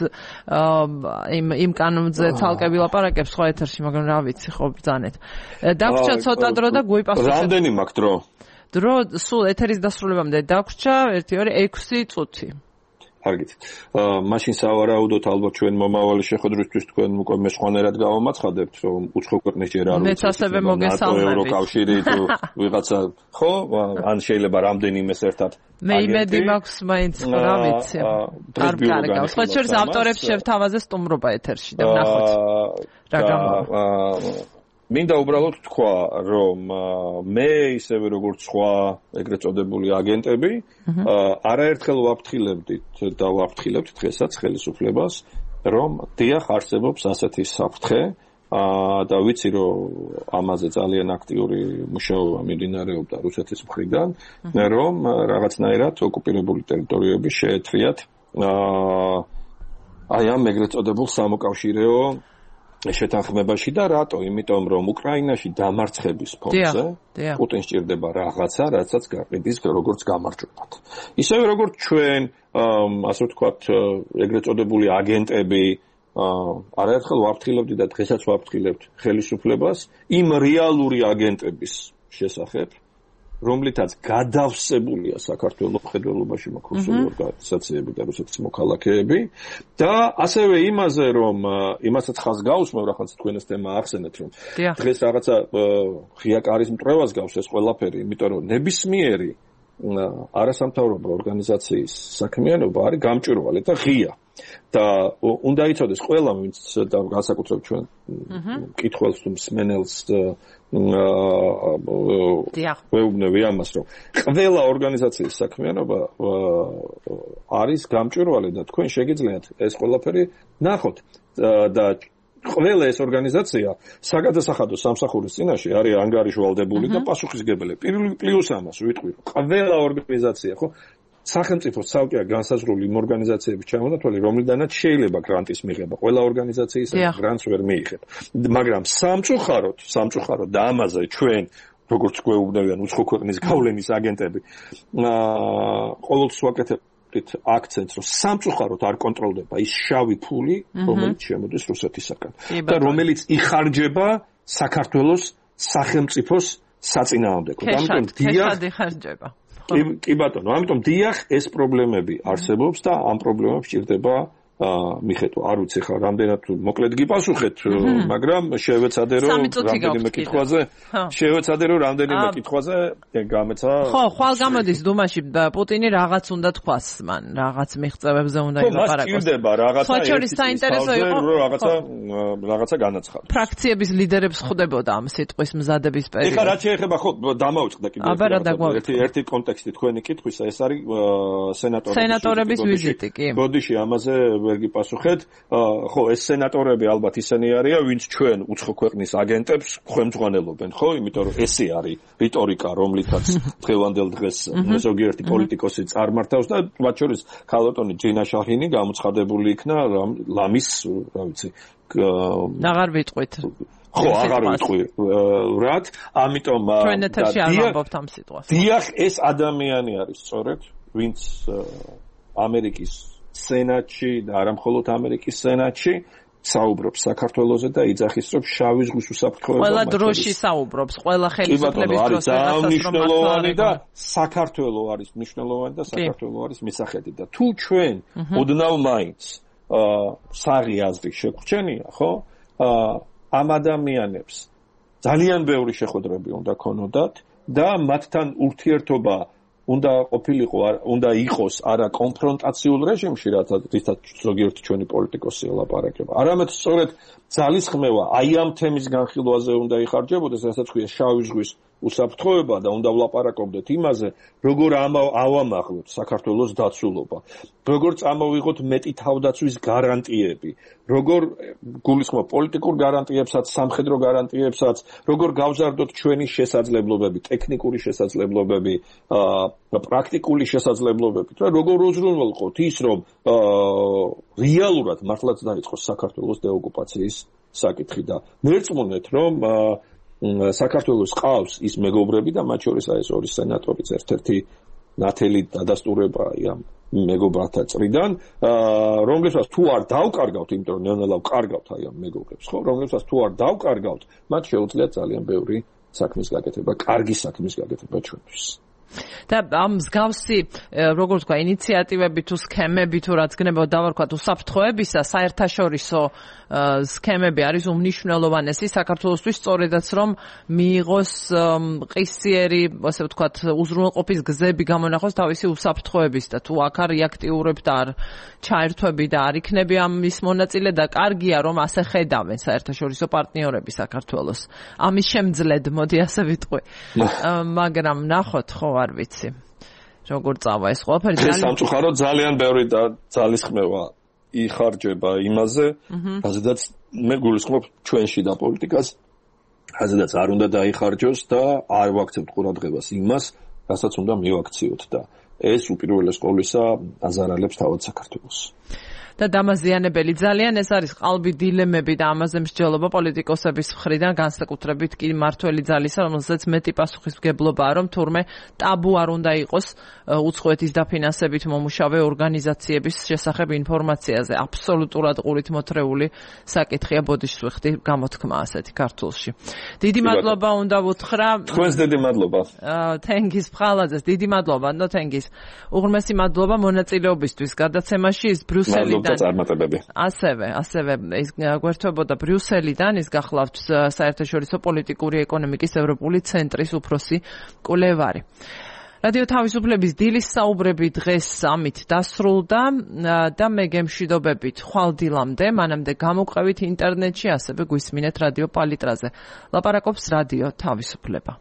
[SPEAKER 1] იმ იმ კანონზე ცალკე ვილაპარაკებ სხვა ეთერში, მაგრამ რა ვიცი ხო ბრძანეთ. დაგვრჩა ცოტა დრო და გვიპასუხეთ.
[SPEAKER 2] რამდენი მაქვს დრო?
[SPEAKER 1] დრო სულ ეთერის დასრულებამდე დაგვრჩა ერთი ორი ექვსი წუთი.
[SPEAKER 2] კარგით. მაშინ სავარაუდოდ ალბათ ჩვენ მომავალი შეხვედრისთვის თქვენ უკვე მეშვენერად გავამაცხადებთ, რომ უცხო ქვეყნის ჯერ არ
[SPEAKER 1] მეც ასევე მოგესალმებით.
[SPEAKER 2] ევროკავშირი თუ ვიღაცა, ხო? ან შეიძლება რამდენიმეს ერთად.
[SPEAKER 1] მე იმედი მაქვს მაინც რა ვიცი. არ კარგავს. ხო შორის ავტორებს შევთავაზე სტუმრობა ეთერში და ვნახოთ. რა გამოვა.
[SPEAKER 2] მინდა უბრალოდ თქვა, რომ მე ისევე როგორც სხვა ეგრეთ წოდებული აგენტები, არაერთხელ ვაფრთხილებდით და ვაფრთხილებთ დღესაც ხელისუფლებას, რომ დიახ არსებობს ასეთი საფრთხე და ვიცი, რომ ამაზე ძალიან აქტიური მუშაობა მიმდინარეობდა რუსეთის მხრიდან, რომ რაღაცნაირად ოკუპირებული ტერიტორიები შეეთრიათ აა აი ამ ეგრეთ წოდებულ სამოკავშირეო შეთანხმებაში და რატო? იმიტომ რომ უკრაინაში დამარცხების ფონზე პუტინს სჭირდება რაღაცა, რასაც გაყიდის როგორც გამარჯვებად. ისევე როგორც ჩვენ, ასე ვთქვათ, ეგრეთ წოდებული აგენტები არაერთხელ ვაფრთხილებდი და დღესაც ვაფრთხილებთ ხელისუფლებას იმ რეალური აგენტების შესახებ, რომლითაც გადავსებულია საქართველოს მხედველობაში მოქცეული ორგანიზაციები და რუსეთის მოქალაქეები და ასევე იმაზე რომ იმასაც ხაზ გაუსმევ რაღაც თქვენ ეს თემა ახსენეთ რომ დღეს რაღაცა ღია კარის მტრევას გავს ეს ყველაფერი იმიტომ რომ ნებისმიერი არასამთავრობო ორგანიზაციის საქმიანობა არის გამჭვირვალე და ღია და უნდა იცოდეს ყველა ვინც და განსაკუთრებით ჩვენ მკითხველს თუ მსმენელს ვეუბნები ამას რომ ყველა ორგანიზაციის საქმიანობა არის გამჭვირვალე და თქვენ შეგიძლიათ ეს ყველაფერი ნახოთ და ყველა ეს ორგანიზაცია საგადასახადო სამსახურის წინაშე არის ანგარიშვალდებული და პასუხისმგებელი პლუს ამას ვიტყვი ყველა ორგანიზაცია ხო სახელმწიფო ცალკეა განსაზღვრული იმ ორგანიზაციების ჩამონათვალი, რომლიდანაც შეიძლება გრანტის მიღება. ყველა ორგანიზაციის გრანტს ვერ მიიღებ. მაგრამ სამწუხაროდ, სამწუხაროდ და ამაზე ჩვენ, როგორც გვეუბნებიან უცხო ქვეყნის გავლენის აგენტები, აა ყოველთვის ვაკეთებთ აქცენტს, რომ სამწუხაროდ არ კონტროლდება ის შავი ფული, რომელიც შემოდის რუსეთისაგან და რომელიც იხარჯება საქართველოს სახელმწიფოს საწინააღმდეგოდ.
[SPEAKER 1] ამიტომ დიახ, იხარჯება.
[SPEAKER 2] კი ბატონო, ამიტომ დიახ, ეს პრობლემები არსებობს და ამ პრობლემებს ჭირდება მიხედვა. არ ვიცი ხა რამდენად მოკლედ გიპასუხეთ, მაგრამ შევეცადე რომ რამდენიმე კითხვაზე, შევეცადე რომ რამდენიმე კითხვაზე გამეცა.
[SPEAKER 1] ხო, ხვალ გამოდის დუმაში პუტინი რაღაც უნდა თქვას მან, რაღაც მიღწევებზე უნდა ილაპარაკოს.
[SPEAKER 2] ხო, ჭირდება რაღაცა.
[SPEAKER 1] ხოჩორის საინტერესო იყო
[SPEAKER 2] რაღაცა რაღაცა განაცხადოს.
[SPEAKER 1] ფრაქციების ლიდერებს ხვდებოდა ამ სიტყვის მზადების პერიოდში.
[SPEAKER 2] ეხლა რაც შეეხება ხო დამავიწყდა კიდევ ერთი ერთი კონტექსტი თქვენი კითხვისა, ეს არის სენატორების
[SPEAKER 1] სენატორების ვიზიტი, კი.
[SPEAKER 2] ბოდიში ამაზე ვერ გიპასუხეთ. ხო, ეს სენატორები ალბათ ისინი არიან, ვინც ჩვენ უცხო ქვეყნის აგენტებს ხმძღვანელობენ, ხო? იმიტომ რომ ესე არის რიტორიკა, რომლითაც დღევანდელ დღეს ზოგიერთი პოლიტიკოსი წარმართავს და მათ შორის ქალბატონი ჯინა შაჰინი გამოცხადებული იქნა ლამის, რა ვიცი,
[SPEAKER 1] აღარ ვიტყვით.
[SPEAKER 2] ხო, აღარ ვიტყვი. რად? ამიტომ
[SPEAKER 1] ჩვენ ეთერში არ ვამბობთ ამ სიტყვას.
[SPEAKER 2] დიახ, ეს ადამიანი არის სწორედ, ვინც ამერიკის სენატში და არა მხოლოდ ამერიკის სენატში საუბრობს საქართველოზე და იძახის რომ შავი ზღვის უსაფრთხოება
[SPEAKER 1] ყველა დროში საუბრობს, ყველა ხელისუფლების დროს
[SPEAKER 2] მნიშვნელოვანი და საქართველო არის მნიშვნელოვანი და საქართველო არის მისახედი და თუ ჩვენ ოდნავ მაინც საღი აზრი შეგვჩენია, ხო? ამ ადამიანებს ძალიან ბევრი შეხვედრები უნდა ქონოდათ და მათთან ურთიერთობა უნდა ყოფილიყო, უნდა იყოს არა კონფრონტაციულ რეჟიმში, რითაც ზოგიერთი ჩვენი პოლიტიკოსი ელაპარაკება. არამედ სწორედ ძალისხმევა აი ამ თემის განხილვაზე უნდა იხარჯებოდეს, რასაც ქვია შავი ზღვის უსაფრთხოება და უნდა ვლაპარაკობდეთ იმაზე, როგორ ავამაღლოთ საქართველოს დაცულობა, როგორ წამოვიღოთ მეტი თავდაცვის გარანტიები, როგორ გულისხმობ პოლიტიკურ გარანტიებსაც, სამხედრო გარანტიებსაც, როგორ გავზარდოთ ჩვენი შესაძლებლობები, ტექნიკური შესაძლებლობები, პრაქტიკული შესაძლებლობები, და როგორ უზრუნველყოთ ის, რომ რეალურად მართლაც დაიწყოს საქართველოს დეოკუპაციის საკითხი და მერწმუნეთ, რომ საქართველოს ყავს ის მეგობრები და მათ შორის ეს ორი სენატორიც ერთ-ერთი ნათელი დადასტურება ამ მეგობრათა წრიდან, რომლებსაც თუ არ დავკარგავთ, იმიტომ რომ ნელ-ნელა ვკარგავთ აი ამ მეგობრებს, ხო, რომლებსაც თუ არ დავკარგავთ, მათ შეუძლიათ ძალიან ბევრი საქმის გაკეთება, კარგი საქმის გაკეთება ჩვენთვის.
[SPEAKER 1] და ამ მსგავსი როგორც თქვა ინიციატივები თუ სქემები თუ რაც გნებოდა დავარქვათ უსაფრთხოებისა საერთაშორისო სქემები არის უმნიშვნელოვანესი საქართველოსთვის სწორედაც რომ მიიღოს ყისიერი ასე ვთქვათ უზრუნველყოფის გზები გამონახოს თავისი უსაფრთხოების და თუ აქ არ რეაქტიურებ და არ ჩაერთვები და არ იქნები ამის მონაწილე და კარგია რომ ასე ხედავენ საერთაშორისო პარტნიორები საქართველოს ამის შემძლედ მოდი ასე ვიტყვი მაგრამ ნახოთ ხო არ ვიცი როგორ წავა ეს ყველაფერი
[SPEAKER 2] ძალიან სამწუხაროდ ძალიან ბევრი და ძალისხმევა იხარჯება იმაზე რაზედაც მე გულისხმობ ჩვენში და პოლიტიკას რაზედაც არ უნდა დაიხარჯოს და არ ვაქცევთ ყურადღებას იმას რასაც უნდა მივაქციოთ და ეს უპირველეს ყოვლისა აზარალებს თავად საქართველოს.
[SPEAKER 1] და დამაზიანებელი ძალიან ეს არის ყალბი დილემები და ამაზე მსჯელობა პოლიტიკოსების მხრიდან განსაკუთრებით კი მართველი ძალისა, რომელსაც მეტი პასუხისმგებლობაა, რომ თურმე ტაბუ არ უნდა იყოს უცხოეთის დაფინანსებით მომუშავე ორგანიზაციების შესახებ ინფორმაციაზე. აბსოლუტურად ყურით მოთრეული საკითხია, ბოდიშს ვიხდი გამოთქმა ასეთი ქართულში. დიდი მადლობა უნდა ვუთხრა.
[SPEAKER 2] თქვენს დიდი მადლობა.
[SPEAKER 1] თენგის ფხალაძეს დიდი მადლობა, ნო თენგის. უღრმესი მადლობა მონაწილეობისთვის გადაცემაში ის ბრიუსელიდან ასევე, ასევე ის გვერდთვებოდა ბრიუსელიდან, ის გახლავთ საერთაშორისო პოლიტიკური ეკონომიკის ევროპული ცენტრის უფროსი კვლევარი. რადიო თავისუფლების დილის საუბრები დღეს ამით დასრულდა და მე გემშვიდობებით ხვალ დილამდე, მანამდე გამოვყევით ინტერნეტში, ასევე გვისმინეთ რადიო პალიტრაზე. ლაპარაკობს რადიო თავისუფლება.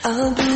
[SPEAKER 4] I'll be